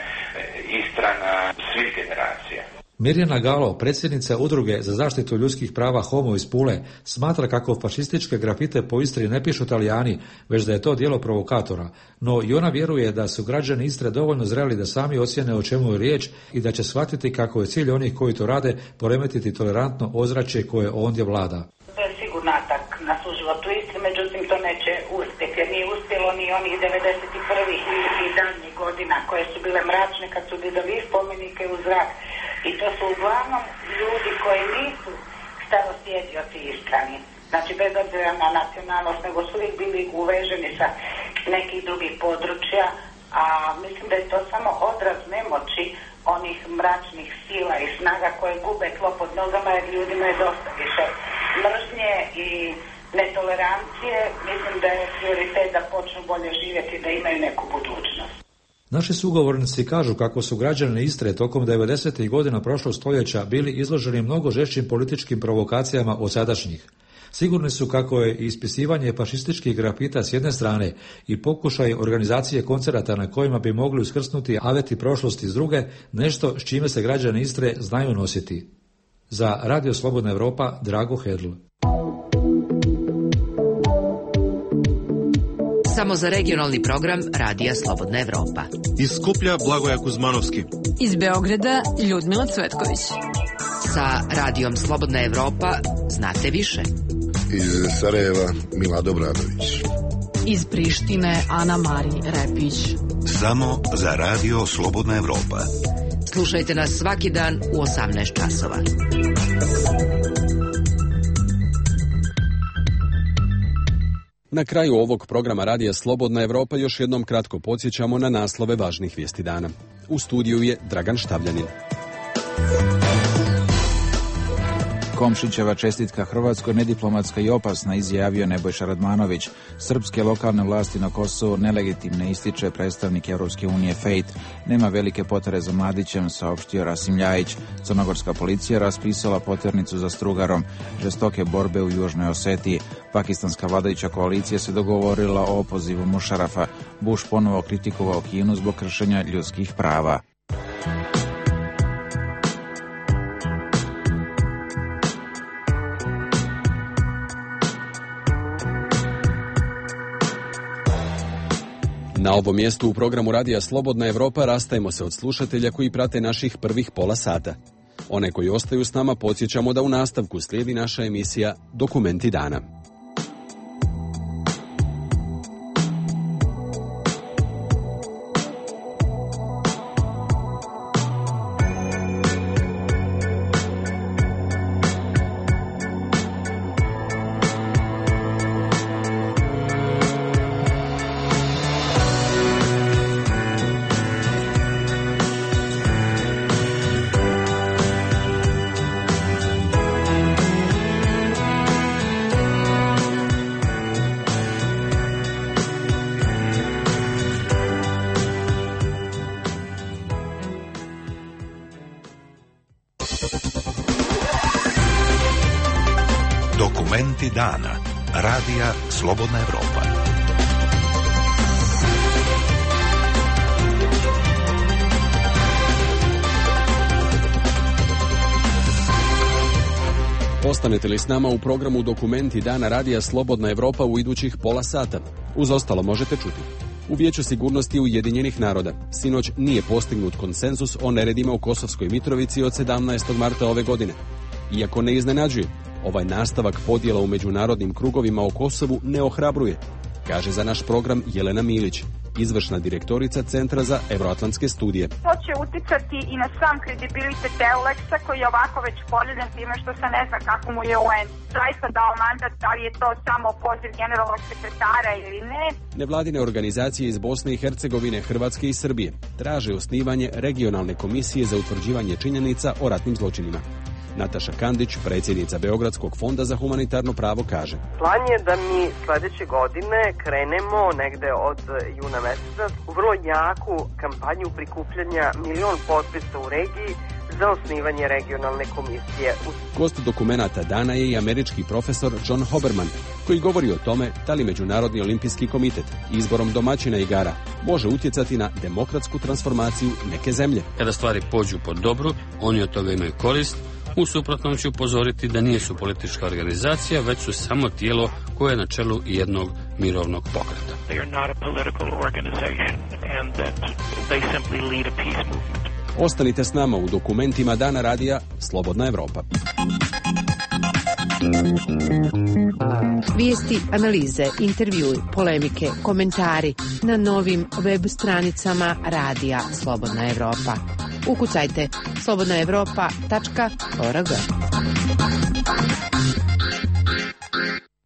Istrana svih generacija. Mirjana Galo, predsjednica Udruge za zaštitu ljudskih prava Homo iz Pule, smatra kako fašističke grafite po Istri ne pišu Talijani, već da je to djelo provokatora, no i ona vjeruje da su građani Istre dovoljno zreli da sami ocjene o čemu je riječ i da će shvatiti kako je cilj onih koji to rade poremetiti tolerantno ozračje koje ondje vlada. To je sigurno atak na suživot u Istri, međutim to neće uspjeti, jer nije uspjelo ni onih 91. i daljnjih godina koje su bile mračne kad su dizali spomenike u zrak. I to su uglavnom ljudi koji nisu starosjedioci Istrani. Znači, bez obzira na nacionalnost, nego su uvijek bili uveženi sa nekih drugih područja, a mislim da je to samo odraz nemoći onih mračnih sila i snaga koje gube tlo pod nogama, jer ljudima je dosta više mržnje i netolerancije. Mislim da je prioritet da počnu bolje živjeti, da imaju neku budućnost. Naši sugovornici kažu kako su građani Istre tokom 90. godina prošlog stoljeća bili izloženi mnogo žešćim političkim provokacijama od sadašnjih. Sigurni su kako je ispisivanje fašističkih grafita s jedne strane i pokušaj organizacije koncerata na kojima bi mogli uskrsnuti aveti prošlosti s druge, nešto s čime se građani Istre znaju nositi. Za Radio Slobodna Europa, Drago Hedl. Samo za regionalni program Radija Slobodna Evropa. Iz Skuplja Blagoja Kuzmanovski. Iz Beograda Ljudmila Cvetković. Sa Radijom Slobodna Evropa znate više. Iz Sarajeva Milado Bradović. Iz Prištine Ana Mari Repić. Samo za Radio Slobodna Evropa. Slušajte nas svaki dan u 18 časova. Na kraju ovog programa Radija Slobodna Evropa još jednom kratko podsjećamo na naslove važnih vijesti dana. U studiju je Dragan Štavljanin. Komšićeva čestitka Hrvatskoj nediplomatska i opasna, izjavio Nebojša Radmanović. Srpske lokalne vlasti na Kosovu nelegitimne, ističe predstavnik Europske unije Fejt. Nema velike potrebe za Mladićem, saopštio Rasim Ljajić. Crnogorska policija raspisala poternicu za Strugarom. Žestoke borbe u Južnoj Osetiji. Pakistanska vladajuća koalicija se dogovorila o opozivu Mušarafa. Bush ponovo kritikovao Kinu zbog kršenja ljudskih prava. Na ovom mjestu u programu Radija Slobodna Evropa rastajemo se od slušatelja koji prate naših prvih pola sata. One koji ostaju s nama podsjećamo da u nastavku slijedi naša emisija Dokumenti dana. Dokumenti dana. Radija Slobodna Evropa. Ostanete li s nama u programu Dokumenti dana Radija Slobodna Evropa u idućih pola sata? Uz ostalo možete čuti. U Vijeću sigurnosti Ujedinjenih naroda sinoć nije postignut konsenzus o neredima u Kosovskoj Mitrovici od 17. marta ove godine. Iako ne iznenađuje, ovaj nastavak podjela u međunarodnim krugovima o Kosovu ne ohrabruje, kaže za naš program Jelena Milić, izvršna direktorica Centra za evroatlantske studije. To će uticati i na sam kredibilitet EULEX-a koji je ovako već poljubljen time što se ne zna kako mu je UN zaista dao mandat, da li je to samo poziv generalnog sekretara ili ne. Nevladine organizacije iz Bosne i Hercegovine, Hrvatske i Srbije traže osnivanje regionalne komisije za utvrđivanje činjenica o ratnim zločinima. Nataša Kandić, predsjednica Beogradskog fonda za humanitarno pravo, kaže: Plan je da mi sljedeće godine krenemo negde od juna meseca u vrlo jaku kampanju prikupljanja 1.000.000 potpisa u regiji za osnivanje regionalne komisije. Gost dokumenata dana je i američki profesor John Hoberman, koji govori o tome da li Međunarodni olimpijski komitet izborom domaćina igara može utjecati na demokratsku transformaciju neke zemlje. Kada stvari pođu po dobru, oni od toga imaju korist. U suprotnom ću upozoriti da nisu politička organizacija, već su samo tijelo koje je na čelu jednog mirovnog pokreta. Ostanite s nama u dokumentima dana Radija Slobodna Evropa. Vijesti, analize, intervjui, polemike, komentari na novim web stranicama Radija Slobodna Evropa. Ukucajte slobodnaevropa.org.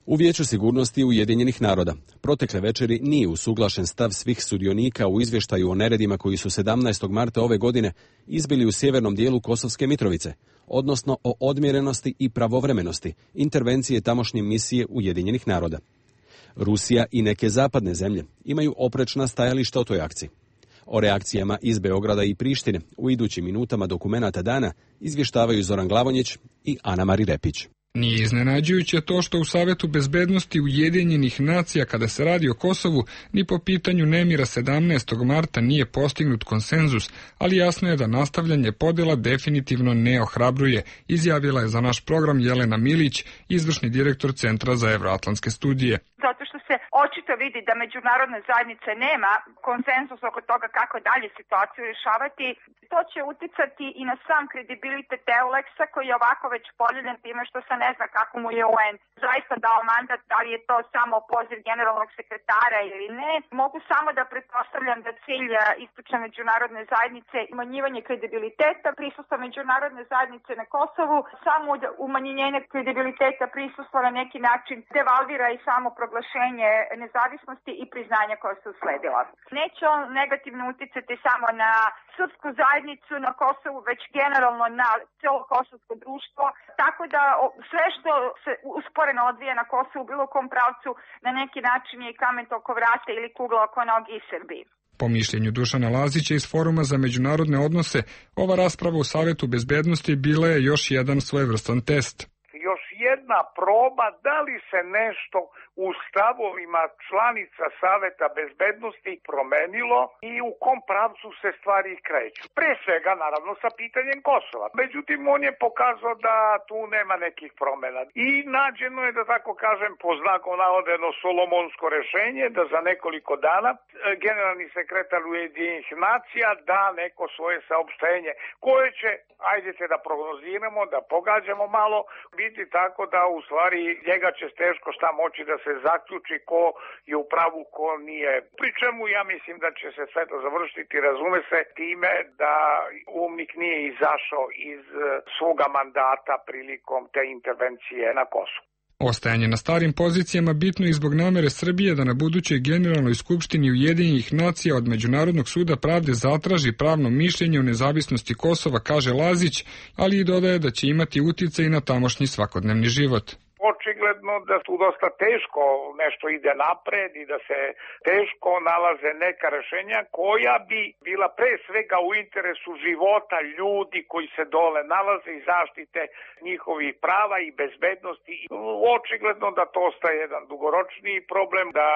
U Vijeću sigurnosti Ujedinjenih naroda protekle večeri nije usuglašen stav svih sudionika u izvještaju o neredima koji su 17. marta ove godine izbili u sjevernom dijelu Kosovske Mitrovice, odnosno o odmjerenosti i pravovremenosti intervencije tamošnje misije Ujedinjenih naroda. Rusija i neke zapadne zemlje imaju oprečna stajališta o toj akciji. O reakcijama iz Beograda i Prištine u idućim minutama dokumenata dana izvještavaju Zoran Glavonjić i Ana-Mari Repić. Nije iznenađujuće to što u Savetu bezbednosti Ujedinjenih nacija kada se radi o Kosovu ni po pitanju nemira 17. marta nije postignut konsenzus, ali jasno je da nastavljanje podjela definitivno ne ohrabruje, izjavila je za naš program Jelena Milić, izvršni direktor Centra za evroatlantske studije. Zato što se očito vidi da međunarodne zajednice nema konsenzus oko toga kako dalje situaciju rješavati. To će uticati i na sam kredibilitet EULEX-a koji je ovako već poljubljen time što se ne zna kako mu je UN zaista dao mandat, da li je to samo poziv generalnog sekretara ili ne. Mogu samo da pretpostavljam da cilj istočne međunarodne zajednice umanjivanje kredibiliteta prisustva međunarodne zajednice na Kosovu, samo umanjenje kredibiliteta prisustva na neki način devalvira i samo proglašenje nezavisnosti i priznanja koja su usledila. Neće on negativno uticati samo na srpsku zajednicu na Kosovu, već generalno na cijelo kosovsko društvo, tako da sve što se usporeno odvija na Kosovu bilo u kom pravcu na neki način je i kamen oko vrata ili kugla oko noge i Srbiji. Po mišljenju Dušana Lazića iz Foruma za međunarodne odnose, ova rasprava u Savetu bezbednosti bila je još jedan svojevrstan test. Još jedna proba da li se nešto u stavovima članica Saveta bezbednosti promenilo i u kom pravcu se stvari kreću. Pre svega, naravno, sa pitanjem Kosova. Međutim, on je pokazao da tu nema nekih promjena. I nađeno je, da tako kažem, po znaku navodeno solomonsko rešenje da za nekoliko dana generalni sekretar Ujedinjenih nacija da neko svoje saopštenje koje će, ajdete da prognoziramo, da pogađamo malo, biti tako da u stvari njega će teško šta moći da se zaključi ko je u pravu, ko nije. Pri čemu ja mislim da će se sve to završiti, razume se, time da UMNIK nije izašao iz svoga mandata prilikom te intervencije na Kosovu. Ostajanje na starim pozicijama bitno i zbog namere Srbije da na budućoj generalnoj skupštini Ujedinjenih nacija od Međunarodnog suda pravde zatraži pravno mišljenje o nezavisnosti Kosova, kaže Lazić, ali i dodaje da će imati uticaj na tamošnji svakodnevni život. Očigledno da tu dosta teško nešto ide napred i da se teško nalaze neka rešenja koja bi bila pre svega u interesu života ljudi koji se dole nalaze i zaštite njihovih prava i bezbednosti. Očigledno da to ostaje jedan dugoročniji problem, da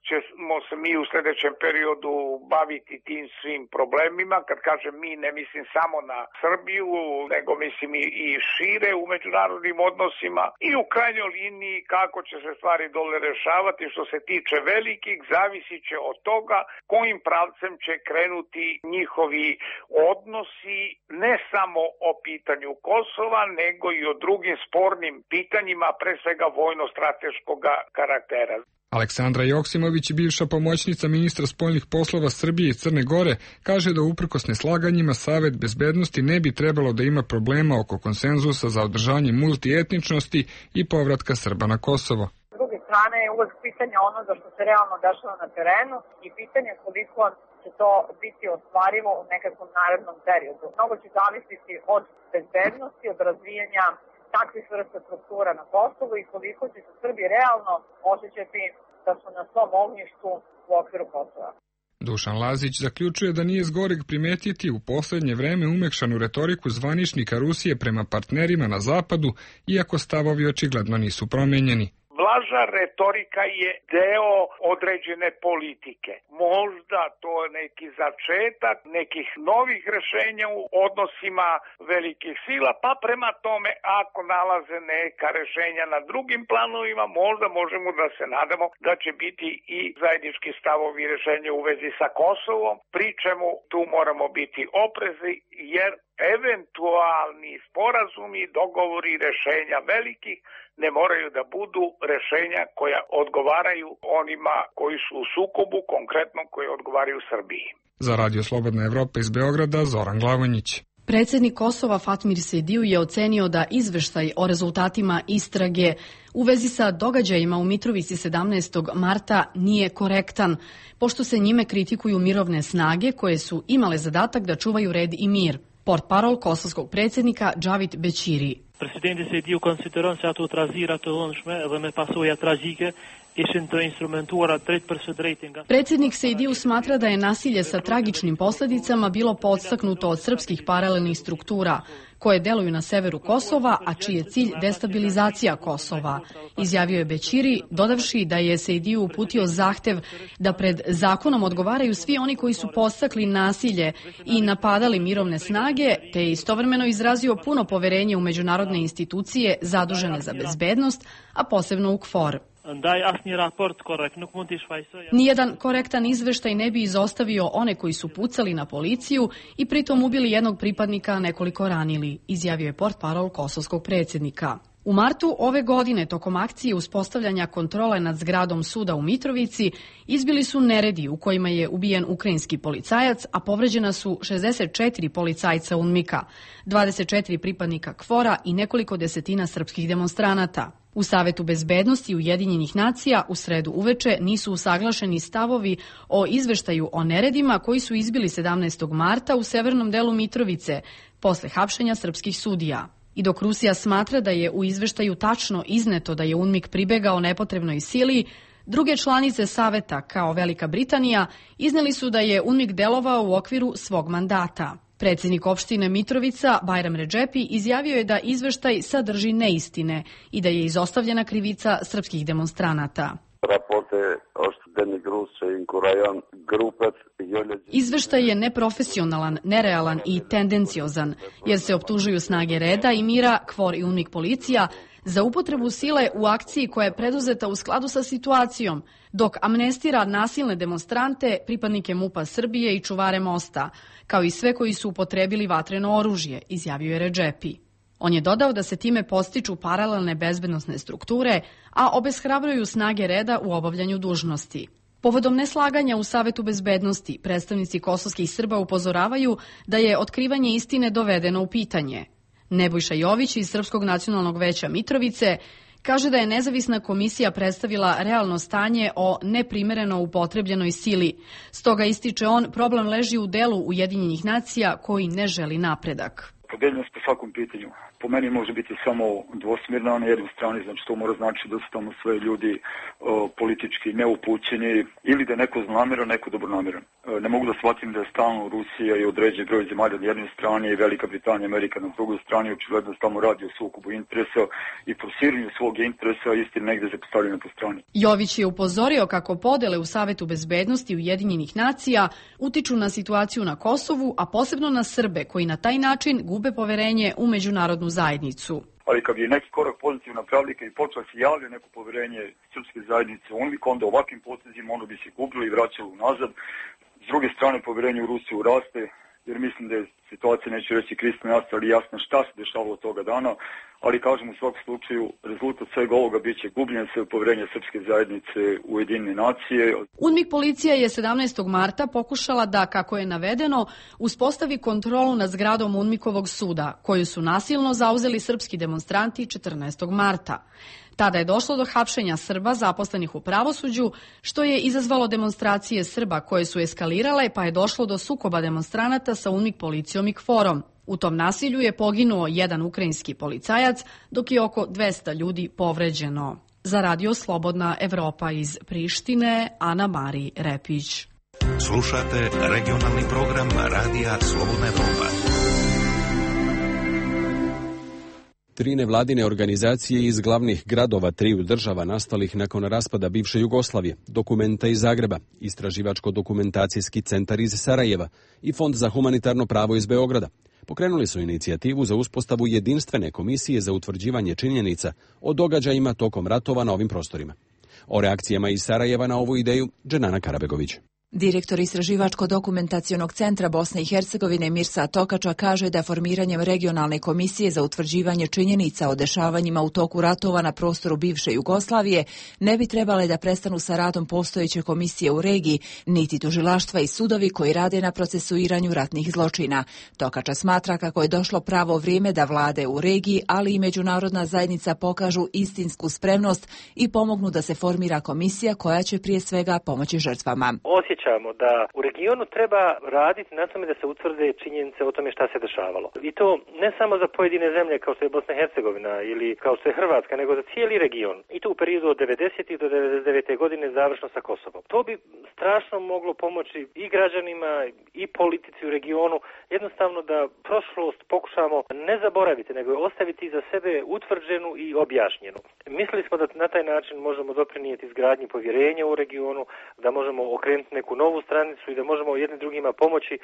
ćemo se mi u sledećem periodu baviti tim svim problemima. Kad kažem mi, ne mislim samo na Srbiju, nego mislim i šire u međunarodnim odnosima i u krajnjoj liniji kako će se stvari dole rešavati. Što se tiče velikih, zavisit će od toga kojim pravcem će krenuti njihovi odnosi, ne samo o pitanju Kosova, nego i o drugim spornim pitanjima, pre svega vojno-strateškog karaktera. Aleksandra Joksimović, bivša pomoćnica ministra spoljnih poslova Srbije i Crne Gore, kaže da uprkos neslaganjima Savet bezbednosti ne bi trebalo da ima problema oko konsenzusa za održanje multietničnosti i povratka Srba na Kosovo. S druge strane je uvek pitanje onoga što se realno dešava na terenu i pitanje koliko će to biti ostvarivo u nekakvom narednom periodu. Mnogo će zavisiti od bezbednosti, od razvijanja takvih vrsta struktura na Kosovu i koliko će se Srbi realno osjećati da su na svom ognjištu u okviru Kosova. Dušan Lazić zaključuje da nije zgoreg primetiti u poslednje vreme umekšanu retoriku zvaničnika Rusije prema partnerima na zapadu, iako stavovi očigledno nisu promenjeni. Blaža retorika je deo određene politike. Možda to je neki začetak nekih novih rešenja u odnosima velikih sila, pa prema tome ako nalaze neka rešenja na drugim planovima, možda možemo da se nadamo da će biti i zajednički stavovi i rešenja u vezi sa Kosovom, pri čemu tu moramo biti oprezni jer eventualni sporazumi, dogovori i rešenja velikih ne moraju da budu rešenja koja odgovaraju onima koji su u sukobu, konkretno koji odgovaraju Srbiji. Za Radio Slobodna Evropa iz Beograda, Zoran Glavonjić. Predsjednik Kosova Fatmir Sejdiju je ocenio da izveštaj o rezultatima istrage u vezi sa događajima u Mitrovici 17. marta nije korektan, pošto se njime kritikuju mirovne snage koje su imale zadatak da čuvaju red i mir. Portparol kosovskog predsjednika Džavit Bećiri. Presidenti Sejdiju konsideron se ato trazira të vëndshme dhe me pasoja tragjike ishin të instrumentuara drejt për së drejtinga. Predsjednik Sejdiju smatra da je nasilje sa tragičnim posljedicama bilo podstaknuto od srpskih paralelnih struktura koje deluju na severu Kosova, a čiji je cilj destabilizacija Kosova. Izjavio je Bećiri, dodavši da je Sejdiju uputio zahtev da pred zakonom odgovaraju svi oni koji su podstakli nasilje i napadali mirovne snage, te je istovremeno izrazio puno poverenje u međunarodne institucije zadužene za bezbednost, a posebno u KFOR. Nijedan korektan izveštaj ne bi izostavio one koji su pucali na policiju i pritom ubili jednog pripadnika, a nekoliko ranili, izjavio je portparol kosovskog predsjednika. U martu ove godine, tokom akcije uspostavljanja kontrole nad zgradom suda u Mitrovici, izbili su neredi u kojima je ubijen ukrajinski policajac, a povređena su 64 policajca UNMIK-a, 24 pripadnika KFOR-a i nekoliko desetina srpskih demonstranata. U Savetu bezbednosti Ujedinjenih nacija u sredu uveče nisu usaglašeni stavovi o izveštaju o neredima koji su izbili 17. marta u severnom delu Mitrovice, posle hapšenja srpskih sudija. I dok Rusija smatra da je u izveštaju tačno izneto da je UNMIK pribegao nepotrebnoj sili, druge članice Saveta, kao Velika Britanija, izneli su da je UNMIK delovao u okviru svog mandata. Predsjednik opštine Mitrovica, Bajram Redžepi, izjavio je da izveštaj sadrži neistine i da je izostavljena krivica srpskih demonstranata. Izveštaj je neprofesionalan, nerealan i tendenciozan, jer se optužuju snage reda i mira, KFOR i UNMIK policija, za upotrebu sile u akciji koja je preduzeta u skladu sa situacijom, dok amnestira nasilne demonstrante, pripadnike MUP-a Srbije i čuvare mosta, kao i sve koji su upotrebili vatreno oružje, izjavio je Redžepi. On je dodao da se time postiču paralelne bezbednosne strukture, a obeshrabruju snage reda u obavljanju dužnosti. Povodom neslaganja u Savetu bezbednosti, predstavnici kosovskih Srba upozoravaju da je otkrivanje istine dovedeno u pitanje. Nebojša Jović iz Srpskog nacionalnog veća Mitrovice kaže da je nezavisna komisija predstavila realno stanje o neprimereno upotrebljenoj sili. Stoga, ističe on, problem leži u delu Ujedinjenih nacija koji ne želi napredak. podeljenost po svakom pitanju. Po meni može biti samo dvosmjerna na jednoj strani, znači to mora znači da su tamo sve ljudi politički neupućeni ili da je neko zlonamjeran, neko dobronamjeran. Ne mogu da shvatim da je stalno Rusija i određuje broj zemalja na jednoj strani i Velika Britanija, Amerika na drugoj strani, očigledno tamo radi o sukobu interesa i forsiranju svog interesa, istina negde se postavljena po strani. Jović je upozorio kako podele u Savetu bezbednosti Ujedinjenih nacija utiču na situaciju na Kosovu, a posebno na Srbe koji na taj način gube poverenje u međunarodnu zajednicu. Ali kad je neki korak pozitivna pravlika i počela se javlja neko poverenje srpske zajednice, onda ovakvim potezima ono bi se gubilo i vraćalo unazad. S druge strane, poverenje u Rusiju raste, jer mislim da je situacija, neću reći kristalno jasna, ali jasno šta se dešavalo toga dana, ali kažem u svakom slučaju rezultat svega ovoga bit će gubljenje sve poverenja srpske zajednice u Ujedinjene nacije. UNMIK policija je 17. marta pokušala da, kako je navedeno, uspostavi kontrolu nad zgradom UNMIKovog suda, koju su nasilno zauzeli srpski demonstranti 14. marta. Tada je došlo do hapšenja Srba zaposlenih u pravosuđu, što je izazvalo demonstracije Srba koje su eskalirale, pa je došlo do sukoba demonstranata sa UNMIK policijom i KFOR-om. U tom nasilju je poginuo jedan ukrajinski policajac, dok je oko 200 ljudi povređeno. Za Radio Slobodna Evropa iz Prištine, Ana Mari Repić. Slušate regionalni program Radija Slobodna Evropa. 3 nevladine organizacije iz glavnih gradova 3 država nastalih nakon raspada bivše Jugoslavije, Dokumenta iz Zagreba, Istraživačko-dokumentacijski centar iz Sarajeva i Fond za humanitarno pravo iz Beograda pokrenuli su inicijativu za uspostavu jedinstvene komisije za utvrđivanje činjenica o događajima tokom ratova na ovim prostorima. O reakcijama iz Sarajeva na ovu ideju Dženana Karabegović. Direktor Istraživačko-dokumentacionog centra Bosne i Hercegovine Mirsa Tokača kaže da formiranjem regionalne komisije za utvrđivanje činjenica o dešavanjima u toku ratova na prostoru bivše Jugoslavije ne bi trebale da prestanu sa radom postojeće komisije u regiji, niti tužilaštva i sudovi koji rade na procesuiranju ratnih zločina. Tokača smatra kako je došlo pravo vrijeme da vlade u regiji, ali i međunarodna zajednica pokažu istinsku spremnost i pomognu da se formira komisija koja će prije svega pomoći žrtvama. Da u regionu treba raditi na tome da se utvrde činjenice o tome šta se dešavalo. I to ne samo za pojedine zemlje kao što je Bosna i Hercegovina ili kao što je Hrvatska, nego za cijeli region. I to u periodu od 90. do 99. godine završno sa Kosovom. To bi strašno moglo pomoći i građanima i politici u regionu, jednostavno da prošlost pokušamo ne zaboraviti, nego ostaviti za sebe utvrđenu i objašnjenu. Mislili smo da na taj način možemo doprinijeti izgradnji povjerenja u regionu, da možemo okrenuti neku novu stranicu i da možemo jednim drugima pomoći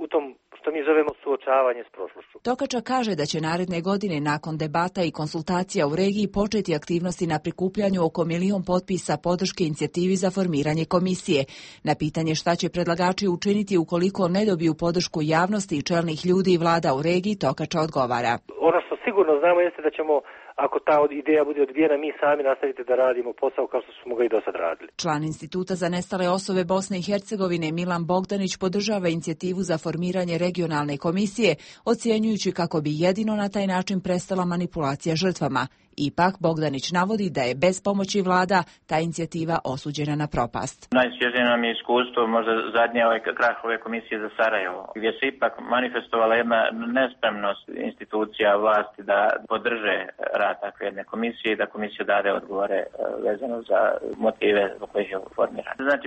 u tom što mi zovemo suočavanje s prošlošću. Tokača kaže da će naredne godine nakon debata i konsultacija u regiji početi aktivnosti na prikupljanju oko 1 milion potpisa podrške inicijativi za formiranje komisije. Na pitanje šta će predlagači učiniti ukoliko ne dobiju podršku javnosti i čelnih ljudi i vlada u regiji, Tokača odgovara. Ono što sigurno znamo jeste da ćemo, ako ta ideja bude odbijena, mi sami nastaviti da radimo posao kao što smo ga i do sad radili. Član Instituta za nestale osobe Bosne i Hercegovine Milan Bogdanić podržava inicijativu za formiranje regionalne komisije, ocjenjujući kako bi jedino na taj način prestala manipulacija žrtvama. Ipak, Bogdanić navodi da je bez pomoći vlada ta inicijativa osuđena na propast. Najsvježije nam je iskustvo, možda zadnje krah ove komisije za Sarajevo, gdje se ipak manifestovala jedna nespremnost institucija vlasti da podrže rad takve jedne komisije i da komisija dade odgovore vezano za motive zbog kojih je formirana. Znači,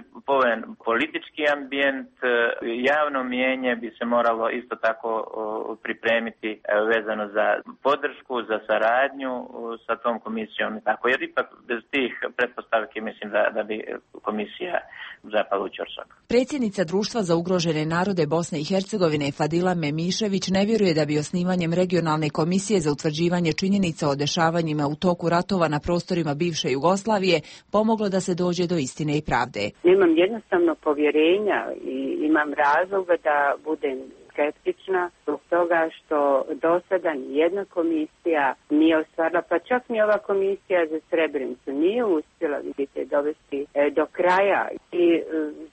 politički ambijent, javno mijenje bi se moralo isto tako pripremiti vezano za podršku, za saradnju sa tom komisijom i tako, jer ipak bez tih pretpostavki mislim da bi komisija zapala u ćorsok. Predsjednica Društva za ugrožene narode Bosne i Hercegovine Fadila Memišević ne vjeruje da bi osnivanjem regionalne komisije za utvrđivanje činjenica o dešavanjima u toku ratova na prostorima bivše Jugoslavije pomoglo da se dođe do istine i pravde. Imam jednostavno povjerenja i imam razloga da budem skeptična zbog toga što do sada nijedna komisija nije ostvarila, pa čak ni ova komisija za Srebrenicu nije uspjela, vidite, dovesti do kraja i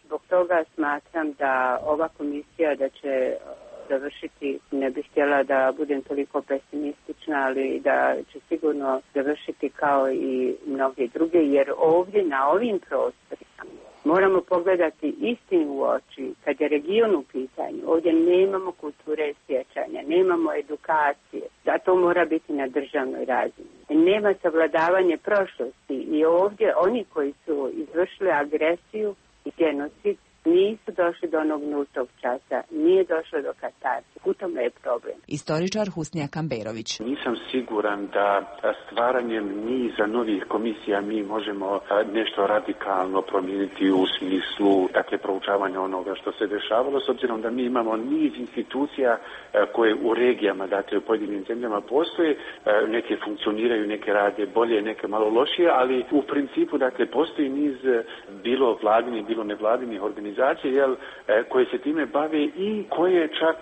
zbog toga smatram da ova komisija da će završiti, ne bih htjela da budem toliko pesimistična, ali da će sigurno završiti kao i mnoge druge, jer ovdje na ovim prostorima Moramo pogledati istinu u oči. Kad je region u pitanju, ovdje nemamo kulture sjećanja, nemamo edukacije. Zato mora biti na državnoj razini. Nema savladavanje prošlosti i ovdje oni koji su izvršili agresiju i genocid nisu došli do onog nultog časa, nije došlo do katarze. U tome je problem. Istoričar Husnija Kamberović. Nisam siguran da stvaranjem niza novih komisija mi možemo nešto radikalno promijeniti u smislu proučavanja onoga što se dešavalo, s obzirom da mi imamo niz institucija koje u regijama, u pojedinim zemljama postoje, neke funkcioniraju, neke rade bolje, neke malo lošije, ali u principu postoji niz bilo vladinih, bilo nevladinih organizacija koje se time bave i koje čak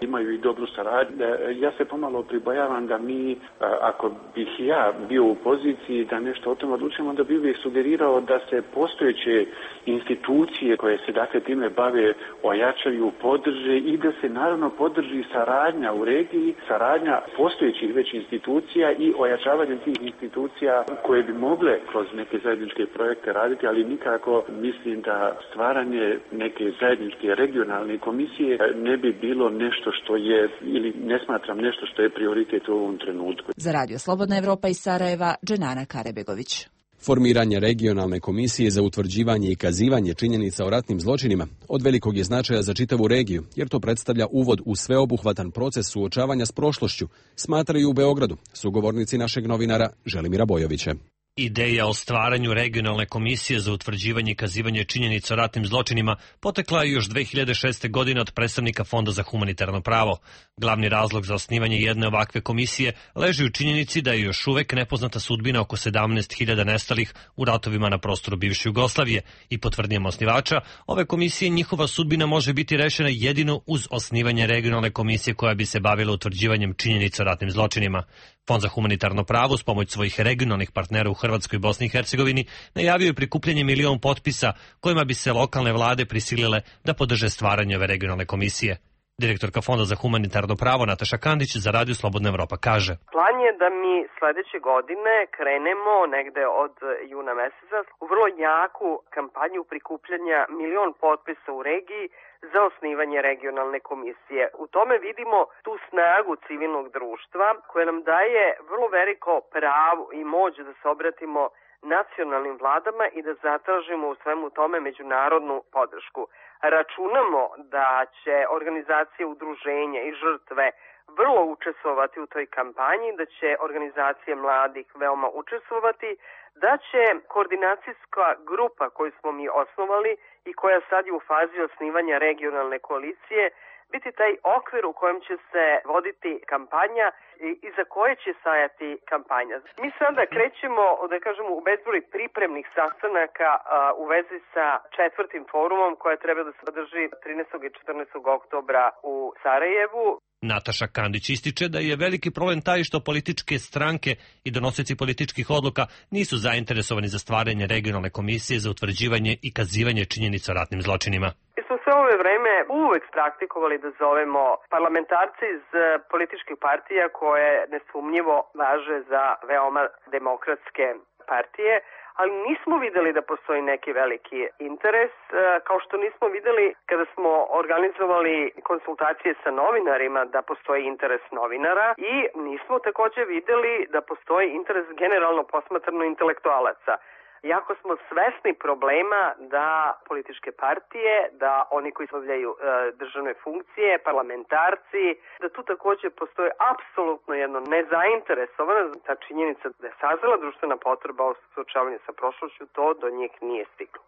imaju i dobru saradnju. Ja se pomalo pribojavam da mi, ako bih ja bio u poziciji da nešto o tome odlučimo, onda bih uvijek sugerirao da se postojeće institucije koje se time bave ojačaju, podrže i da se naravno podrži saradnja u regiji, saradnja postojećih već institucija i ojačavanje tih institucija koje bi mogle kroz neke zajedničke projekte raditi, ali nikako mislim da stvaranje neke zajedničke regionalne komisije ne bi bilo nešto što je, ili ne smatram nešto što je prioritet u ovom trenutku. Za Radio Slobodna Evropa iz Sarajeva, Dženana Karebegović. Formiranje regionalne komisije za utvrđivanje i kazivanje činjenica o ratnim zločinima od velikog je značaja za čitavu regiju, jer to predstavlja uvod u sveobuhvatan proces suočavanja s prošlošću, smatraju u Beogradu sugovornici našeg novinara Želimira Bojovića. Ideja o stvaranju regionalne komisije za utvrđivanje i kazivanje činjenica o ratnim zločinima potekla je još 2006. godine od predstavnika Fonda za humanitarno pravo. Glavni razlog za osnivanje jedne ovakve komisije leži u činjenici da je još uvek nepoznata sudbina oko 17.000 nestalih u ratovima na prostoru bivše Jugoslavije i po tvrdnjama osnivača, ove komisije njihova sudbina može biti rešena jedino uz osnivanje regionalne komisije koja bi se bavila utvrđivanjem činjenica o ratnim zločinima. Fond za humanitarno pravo s pomoć svojih regionalnih partnera u Hrvatskoj i Bosni i Hercegovini najavio je prikupljanje 1 milion potpisa kojima bi se lokalne vlade prisilile da podrže stvaranje ove regionalne komisije. Direktorka Fonda za humanitarno pravo Nataša Kandić za Radio Slobodna Evropa kaže: Plan je da mi sledeće godine krenemo negde od juna meseca u vrlo jaku kampanju prikupljanja 1 milion potpisa u regiji za osnivanje regionalne komisije. U tome vidimo tu snagu civilnog društva koja nam daje vrlo veliko pravo i moć da se obratimo nacionalnim vladama i da zatražimo u svemu tome međunarodnu podršku. Računamo da će organizacije udruženja i žrtve vrlo učestvovati u toj kampanji, da će organizacije mladih veoma učestvovati, da će koordinacijska grupa koju smo mi osnovali i koja sad je u fazi osnivanja regionalne koalicije biti taj okvir u kojem će se voditi kampanja i za koje će stajati kampanja. Mi sada krećemo, da kažemo, u bezbroj pripremnih sastanaka u vezi sa 4. forumom koja treba da se održi 13. i 14. oktobra u Sarajevu. Nataša Kandić ističe da je veliki problem taj što političke stranke i donosioci političkih odluka nisu zainteresovani za stvaranje regionalne komisije za utvrđivanje i kazivanje činjenica o ratnim zločinima. Mi smo sve ove vreme uvek praktikovali da zovemo parlamentarce iz političkih partija koje nesumnjivo važe za veoma demokratske partije, ali nismo videli da postoji neki veliki interes, kao što nismo videli kada smo organizovali konsultacije sa novinarima da postoji interes novinara i nismo takođe videli da postoji interes generalno posmatrano intelektualaca. Jako smo svesni problema da političke partije, da oni koji obavljaju državne funkcije, parlamentarci, da tu takođe postoji apsolutno jedno nezainteresovana ta činjenica da je sazrela društvena potreba o suočavanju sa prošlošću, to do njih nije stiglo.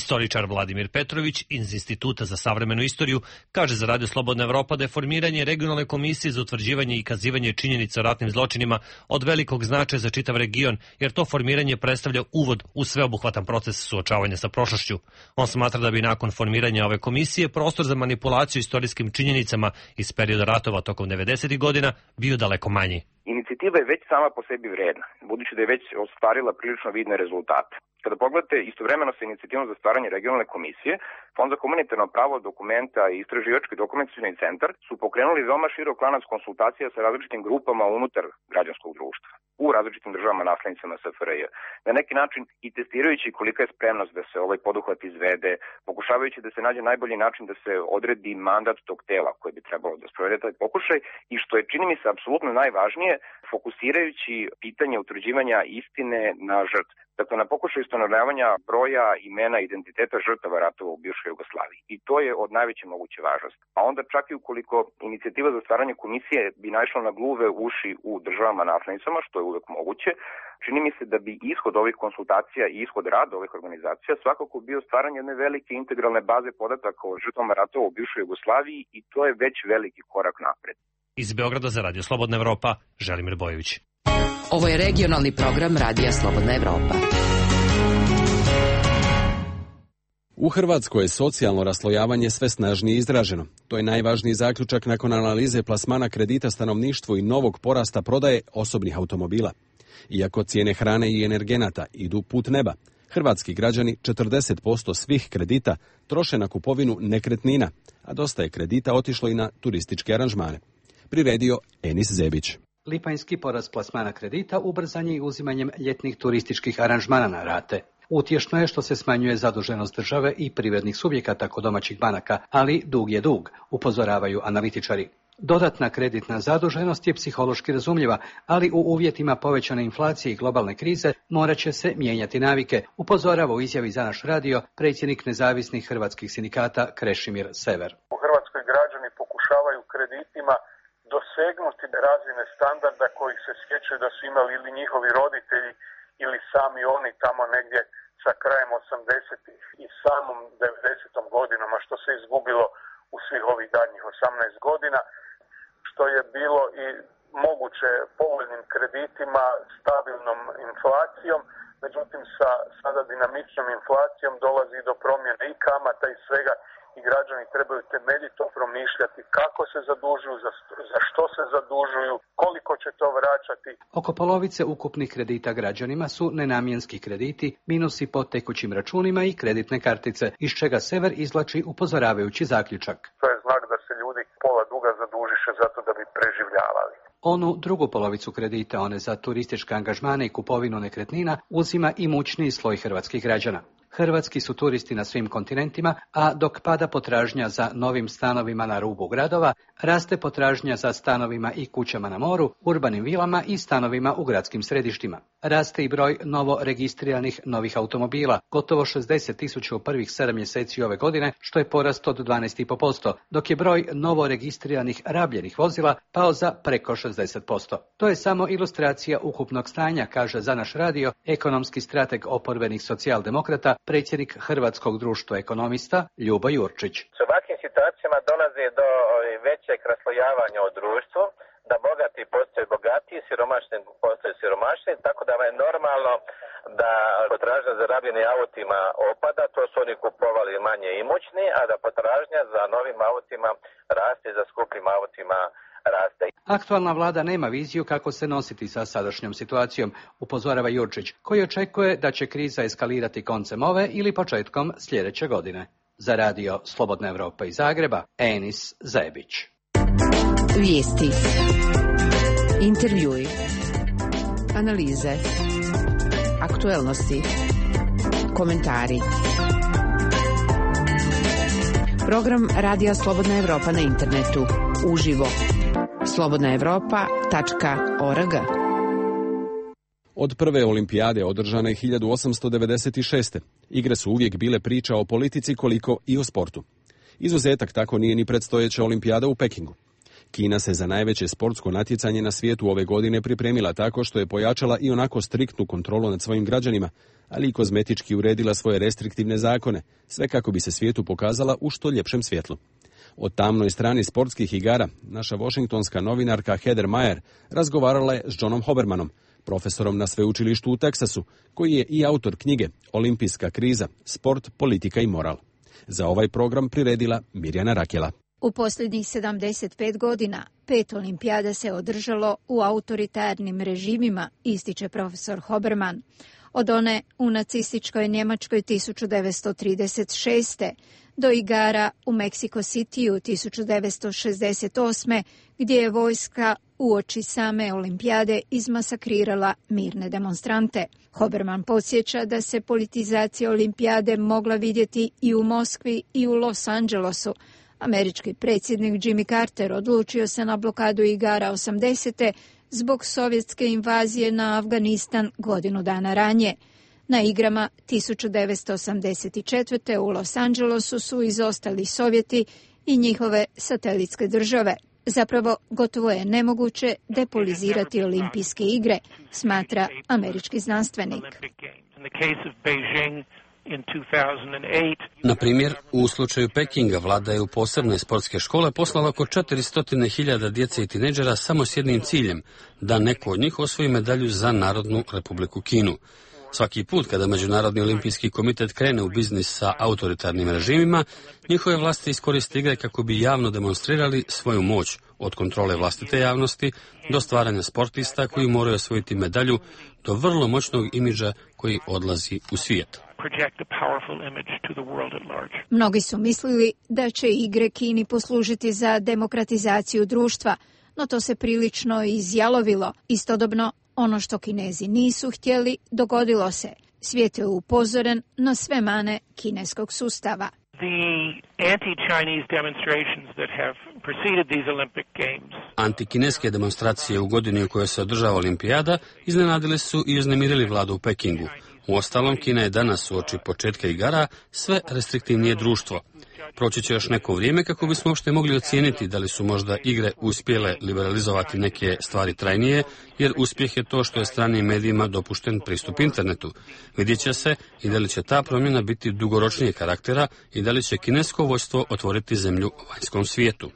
Istoričar Vladimir Petrović iz Instituta za savremenu istoriju kaže za Radio Slobodna Evropa da je formiranje regionalne komisije za utvrđivanje i kazivanje činjenica o ratnim zločinima od velikog značaja za čitav region, jer to formiranje predstavlja uvod u sveobuhvatan proces suočavanja sa prošlošću. On smatra da bi nakon formiranja ove komisije prostor za manipulaciju istorijskim činjenicama iz perioda ratova tokom 90. godina bio daleko manji. Inicijativa je već sama po sebi vredna, budući da je već ostvarila prilično vidne rezultate. Kada pogledate istovremeno sa inicijativom za stvaranje regionalne komisije, Fond za humanitarno pravo, dokumenta i istraživački dokumentacioni centar su pokrenuli veoma širok lanac konsultacija sa različitim grupama unutar građanskog društva u različitim državama naslednicama SFRJ. Na neki način i testirajući kolika je spremnost da se ovaj poduhvat izvede, pokušavajući da se nađe najbolji način da se odredi mandat tog tela koje bi trebalo da sprovede taj pokušaj i što je, čini mi se, apsolutno najvažnije, fokusirajući pitanje utvrđivanja istine na žrtve. Dakle, na pokušaju ustanovljavanja broja, imena, identiteta žrtava ratova u bivšoj Jugoslaviji. I to je od najveće moguće važnosti. A onda čak i ukoliko inicijativa za stvaranje komisije bi naišla na gluve uši u državama naslednicama, što je uvek moguće, čini mi se da bi ishod ovih konsultacija i ishod rada ovih organizacija svakako bio stvaranje jedne velike integralne baze podataka o žrtvama ratova u bivšoj Jugoslaviji i to je već veliki korak napred. Iz Beograda za Radio Slobodna Evropa, Želimir Bojović. Ovo je regionalni program Radija Slobodna Evropa. U Hrvatskoj je socijalno raslojavanje sve snažnije izraženo. To je najvažniji zaključak nakon analize plasmana kredita stanovništvu i novog porasta prodaje osobnih automobila. Iako cijene hrane i energenata idu put neba, hrvatski građani 40% svih kredita troše na kupovinu nekretnina, a dosta je kredita otišlo i na turističke aranžmane. Priredio Enis Zebić. Lipanjski porast plasmana kredita ubrzan je i uzimanjem ljetnih turističkih aranžmana na rate. Utješno je što se smanjuje zaduženost države i privrednih subjekata kod domaćih banaka, ali dug je dug, upozoravaju analitičari. Dodatna kreditna zaduženost je psihološki razumljiva, ali u uvjetima povećane inflacije i globalne krize morat će se mijenjati navike, upozorava u izjavi za naš radio predsjednik nezavisnih hrvatskih sindikata Krešimir Sever. U Hrvatskoj građani pokušavaju kreditima dosegnuti razine standarda kojih se sjećaju da su imali ili njihovi roditelji ili sami oni tamo negdje sa krajem 80-ih i samom 90. godinom, a što se izgubilo u svih ovih daljnjih 18 godina, što je bilo i moguće povoljnim kreditima, stabilnom inflacijom, međutim sa sada dinamičnom inflacijom dolazi do promjene i kamata i svega i građani trebaju temeljito promišljati kako se zadužuju, za što se zadužuju, koliko će to vraćati. Oko polovice ukupnih kredita građanima su nenamjenski krediti, minusi po tekućim računima i kreditne kartice, iz čega Sever izvlači upozoravajući zaključak. To je znak da se ljudi pola duga zadužiše zato da bi preživljavali. Onu drugu polovicu kredita, one za turističke angažmane i kupovinu nekretnina, uzima i mučniji sloj hrvatskih građana. Hrvatski su turisti na svim kontinentima, a dok pada potražnja za novim stanovima na rubu gradova, raste potražnja za stanovima i kućama na moru, urbanim vilama i stanovima u gradskim središtima. Raste i broj novo registriranih novih automobila, gotovo 60.000 u prvih 7 mjeseci ove godine, što je porast od 12,5%, dok je broj novo registriranih rabljenih vozila pao za preko 60%. To je samo ilustracija ukupnog stanja, kaže za naš radio ekonomski strateg oporbenih socijaldemokrata, predsjednik Hrvatskog društva ekonomista Ljubo Jurčić. S ovakvim situacijama dolazi do većeg raslojavanja u društvu, da bogati postaju bogatiji, siromašni postaju siromašni, tako da je normalno da potražnja za rabljenim autima opada, to su oni kupovali manje imućni, a da potražnja za novim autima raste, za skupim autima raste. Aktualna vlada nema viziju kako se nositi sa sadašnjom situacijom, upozorava Jurčić, koji očekuje da će kriza eskalirati koncem ove ili početkom sljedeće godine. Za radio Slobodna Evropa iz Zagreba, Enis Zebić. Vijesti, intervjui, analize, aktuelnosti, komentari. Program Radija Slobodna Evropa na internetu, uživo. slobodnaevropa.org. Od prve olimpijade održane 1896. Igre su uvijek bile priča o politici koliko i o sportu. Izuzetak tako nije ni predstojeća olimpijada u Pekingu. Kina se za najveće sportsko natjecanje na svijetu ove godine pripremila tako što je pojačala i onako striktnu kontrolu nad svojim građanima, ali i kozmetički uredila svoje restriktivne zakone, sve kako bi se svijetu pokazala u što ljepšem svjetlu. O tamnoj strani sportskih igara naša washingtonska novinarka Heather Mayer razgovarala je s Johnom Hobermanom, profesorom na sveučilištu u Teksasu, koji je i autor knjige Olimpijska kriza, sport, politika i moral. Za ovaj program priredila Mirjana Rakela. U posljednjih 75 godina 5 olimpijada se održalo u autoritarnim režimima, ističe profesor Hoberman. od one u nacističkoj Njemačkoj 1936. do igara u Mexico Cityu 1968. gdje je vojska uoči same olimpijade izmasakrirala mirne demonstrante. Hoberman podsjeća da se politizacija olimpijade mogla vidjeti i u Moskvi i u Los Angelesu. Američki predsjednik Jimmy Carter odlučio se na blokadu igara 80. zbog sovjetske invazije na Afganistan godinu dana ranije. Na igrama 1984. u Los Angelesu su izostali Sovjeti i njihove satelitske države. Zapravo, gotovo je nemoguće depolizirati olimpijske igre, smatra američki znanstvenik. Na primjer, u slučaju Pekinga vlada je u posebne sportske škole poslala oko 400.000 djece i tineđera samo s jednim ciljem, da neko od njih osvoji medalju za Narodnu Republiku Kinu. Svaki put kada Međunarodni olimpijski komitet krene u biznis sa autoritarnim režimima, njihove vlasti iskoriste igre kako bi javno demonstrirali svoju moć, od kontrole vlastite javnosti do stvaranja sportista koji moraju osvojiti medalju, do vrlo moćnog imidža koji odlazi u svijet. Mnogi su mislili da će igre Kini poslužiti za demokratizaciju društva, no to se prilično izjalovilo. Istodobno, ono što Kinezi nisu htjeli, dogodilo se. Svijet je upozoren na sve mane kineskog sustava. Antikineske demonstracije u godini u kojoj se održava olimpijada iznenadile su i uznemirili vladu u Pekingu. Uostalom, Kina je danas uoči početka igara sve restriktivnije društvo. Proći će još neko vrijeme kako bismo uopšte mogli ocijeniti da li su možda igre uspjele liberalizovati neke stvari trajnije, jer uspjeh je to što je stranim medijima dopušten pristup internetu. Vidjet će se i da li će ta promjena biti dugoročnijeg karaktera i da li će kinesko vojstvo otvoriti zemlju vanjskom svijetu.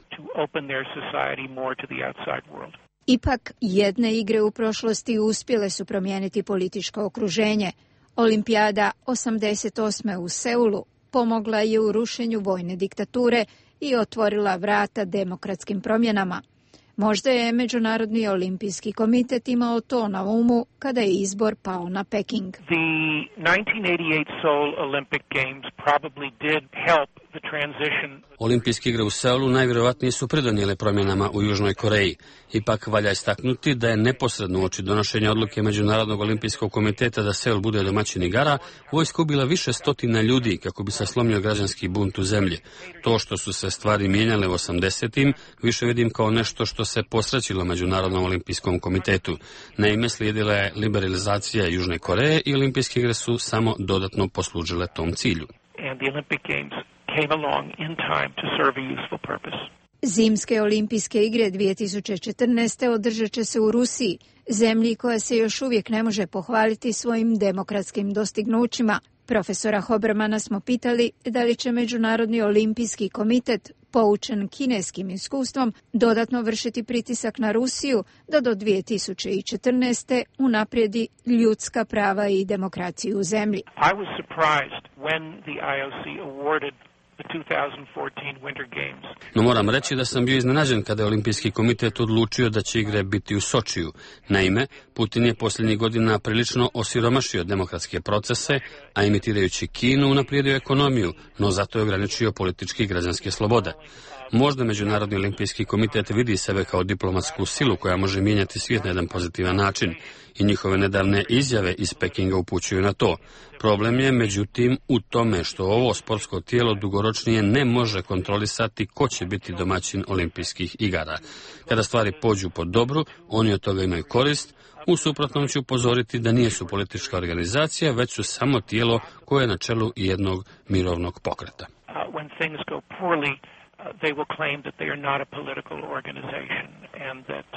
Ipak, jedne igre u prošlosti uspjele su promijeniti političko okruženje. Olimpijada 88. u Seulu pomogla je u rušenju vojne diktature i otvorila vrata demokratskim promjenama. Možda je Međunarodni olimpijski komitet imao to na umu kada je izbor pao na Peking. The 1988 Seoul Olympic Games probably did help the transition. Olimpijske igre u Seulu najvjerojatnije su pridonijele promjenama u Južnoj Koreji. Ipak valja istaknuti da je neposredno uoči donošenja odluke Međunarodnog olimpijskog komiteta da Seul bude domaćin igara, vojska ubila više stotina ljudi kako bi se slomio građanski bunt u zemlji. To što su se stvari mijenjale u 80-im više vidim kao nešto što se posrećilo Međunarodnom olimpijskom komitetu. Naime, slijedila je liberalizacija Južne Koreje i olimpijske igre su samo dodatno poslužile tom cilju. Zimske olimpijske igre 2014. održat će se u Rusiji, zemlji koja se još uvijek ne može pohvaliti svojim demokratskim dostignućima. Profesora Hobermana smo pitali da li će Međunarodni olimpijski komitet, poučen kineskim iskustvom, dodatno vršiti pritisak na Rusiju da do 2014. unaprijedi ljudska prava i demokraciju u zemlji. I was surprised when the IOC awarded the 2014 Winter Games. No moram reći da sam bio iznenađen kada je Olimpijski komitet odlučio da će igre biti u Sočiju. Naime, Putin je posljednjih godina prilično osiromašio demokratske procese, a imitirajući Kinu unaprijedio ekonomiju, no zato je ograničio političke i građanske slobode. Možda Međunarodni olimpijski komitet vidi sebe kao diplomatsku silu koja može mijenjati svijet na jedan pozitivan način i njihove nedavne izjave iz Pekinga upućuju na to. Problem je, međutim, u tome što ovo sportsko tijelo dugoročnije ne može kontrolisati ko će biti domaćin olimpijskih igara. Kada stvari pođu po dobru, oni od toga imaju korist. U suprotnom ću upozoriti da nisu politička organizacija, već su samo tijelo koje je na čelu jednog mirovnog pokreta. They will claim that they are not a political organization and that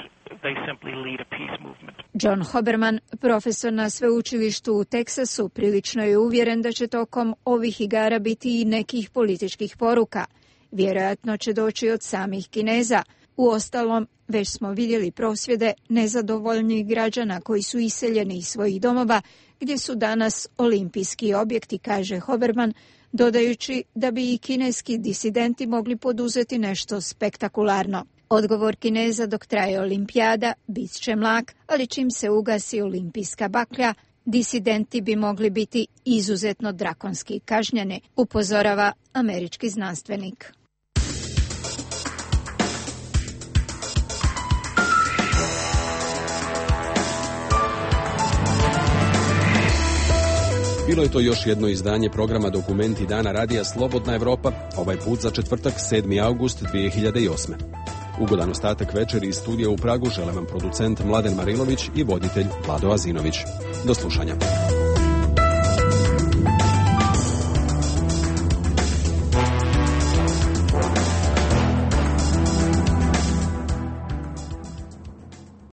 they simply lead a peace movement. John Hoberman, profesor na sveučilištu u Teksasu, prilično je uvjeren da će tokom ovih igara biti i nekih političkih poruka. Vjerojatno će doći od samih Kineza. Uostalom, već smo vidjeli prosvjede nezadovoljnih građana koji su iseljeni iz svojih domova, gdje su danas olimpijski objekti, kaže Hoberman, dodajući da bi i kineski disidenti mogli poduzeti nešto spektakularno. Odgovor Kineza dok traje olimpijada bit će mlak, ali čim se ugasi olimpijska baklja, disidenti bi mogli biti izuzetno drakonski kažnjeni, upozorava američki znanstvenik. Bilo je to još jedno izdanje programa Dokumenti dana radija Slobodna Evropa, ovaj put za četvrtak 7. august 2008. Ugodan ostatak večeri iz studija u Pragu žele vam producent Mladen Marilović i voditelj Vlado Azinović. Do slušanja.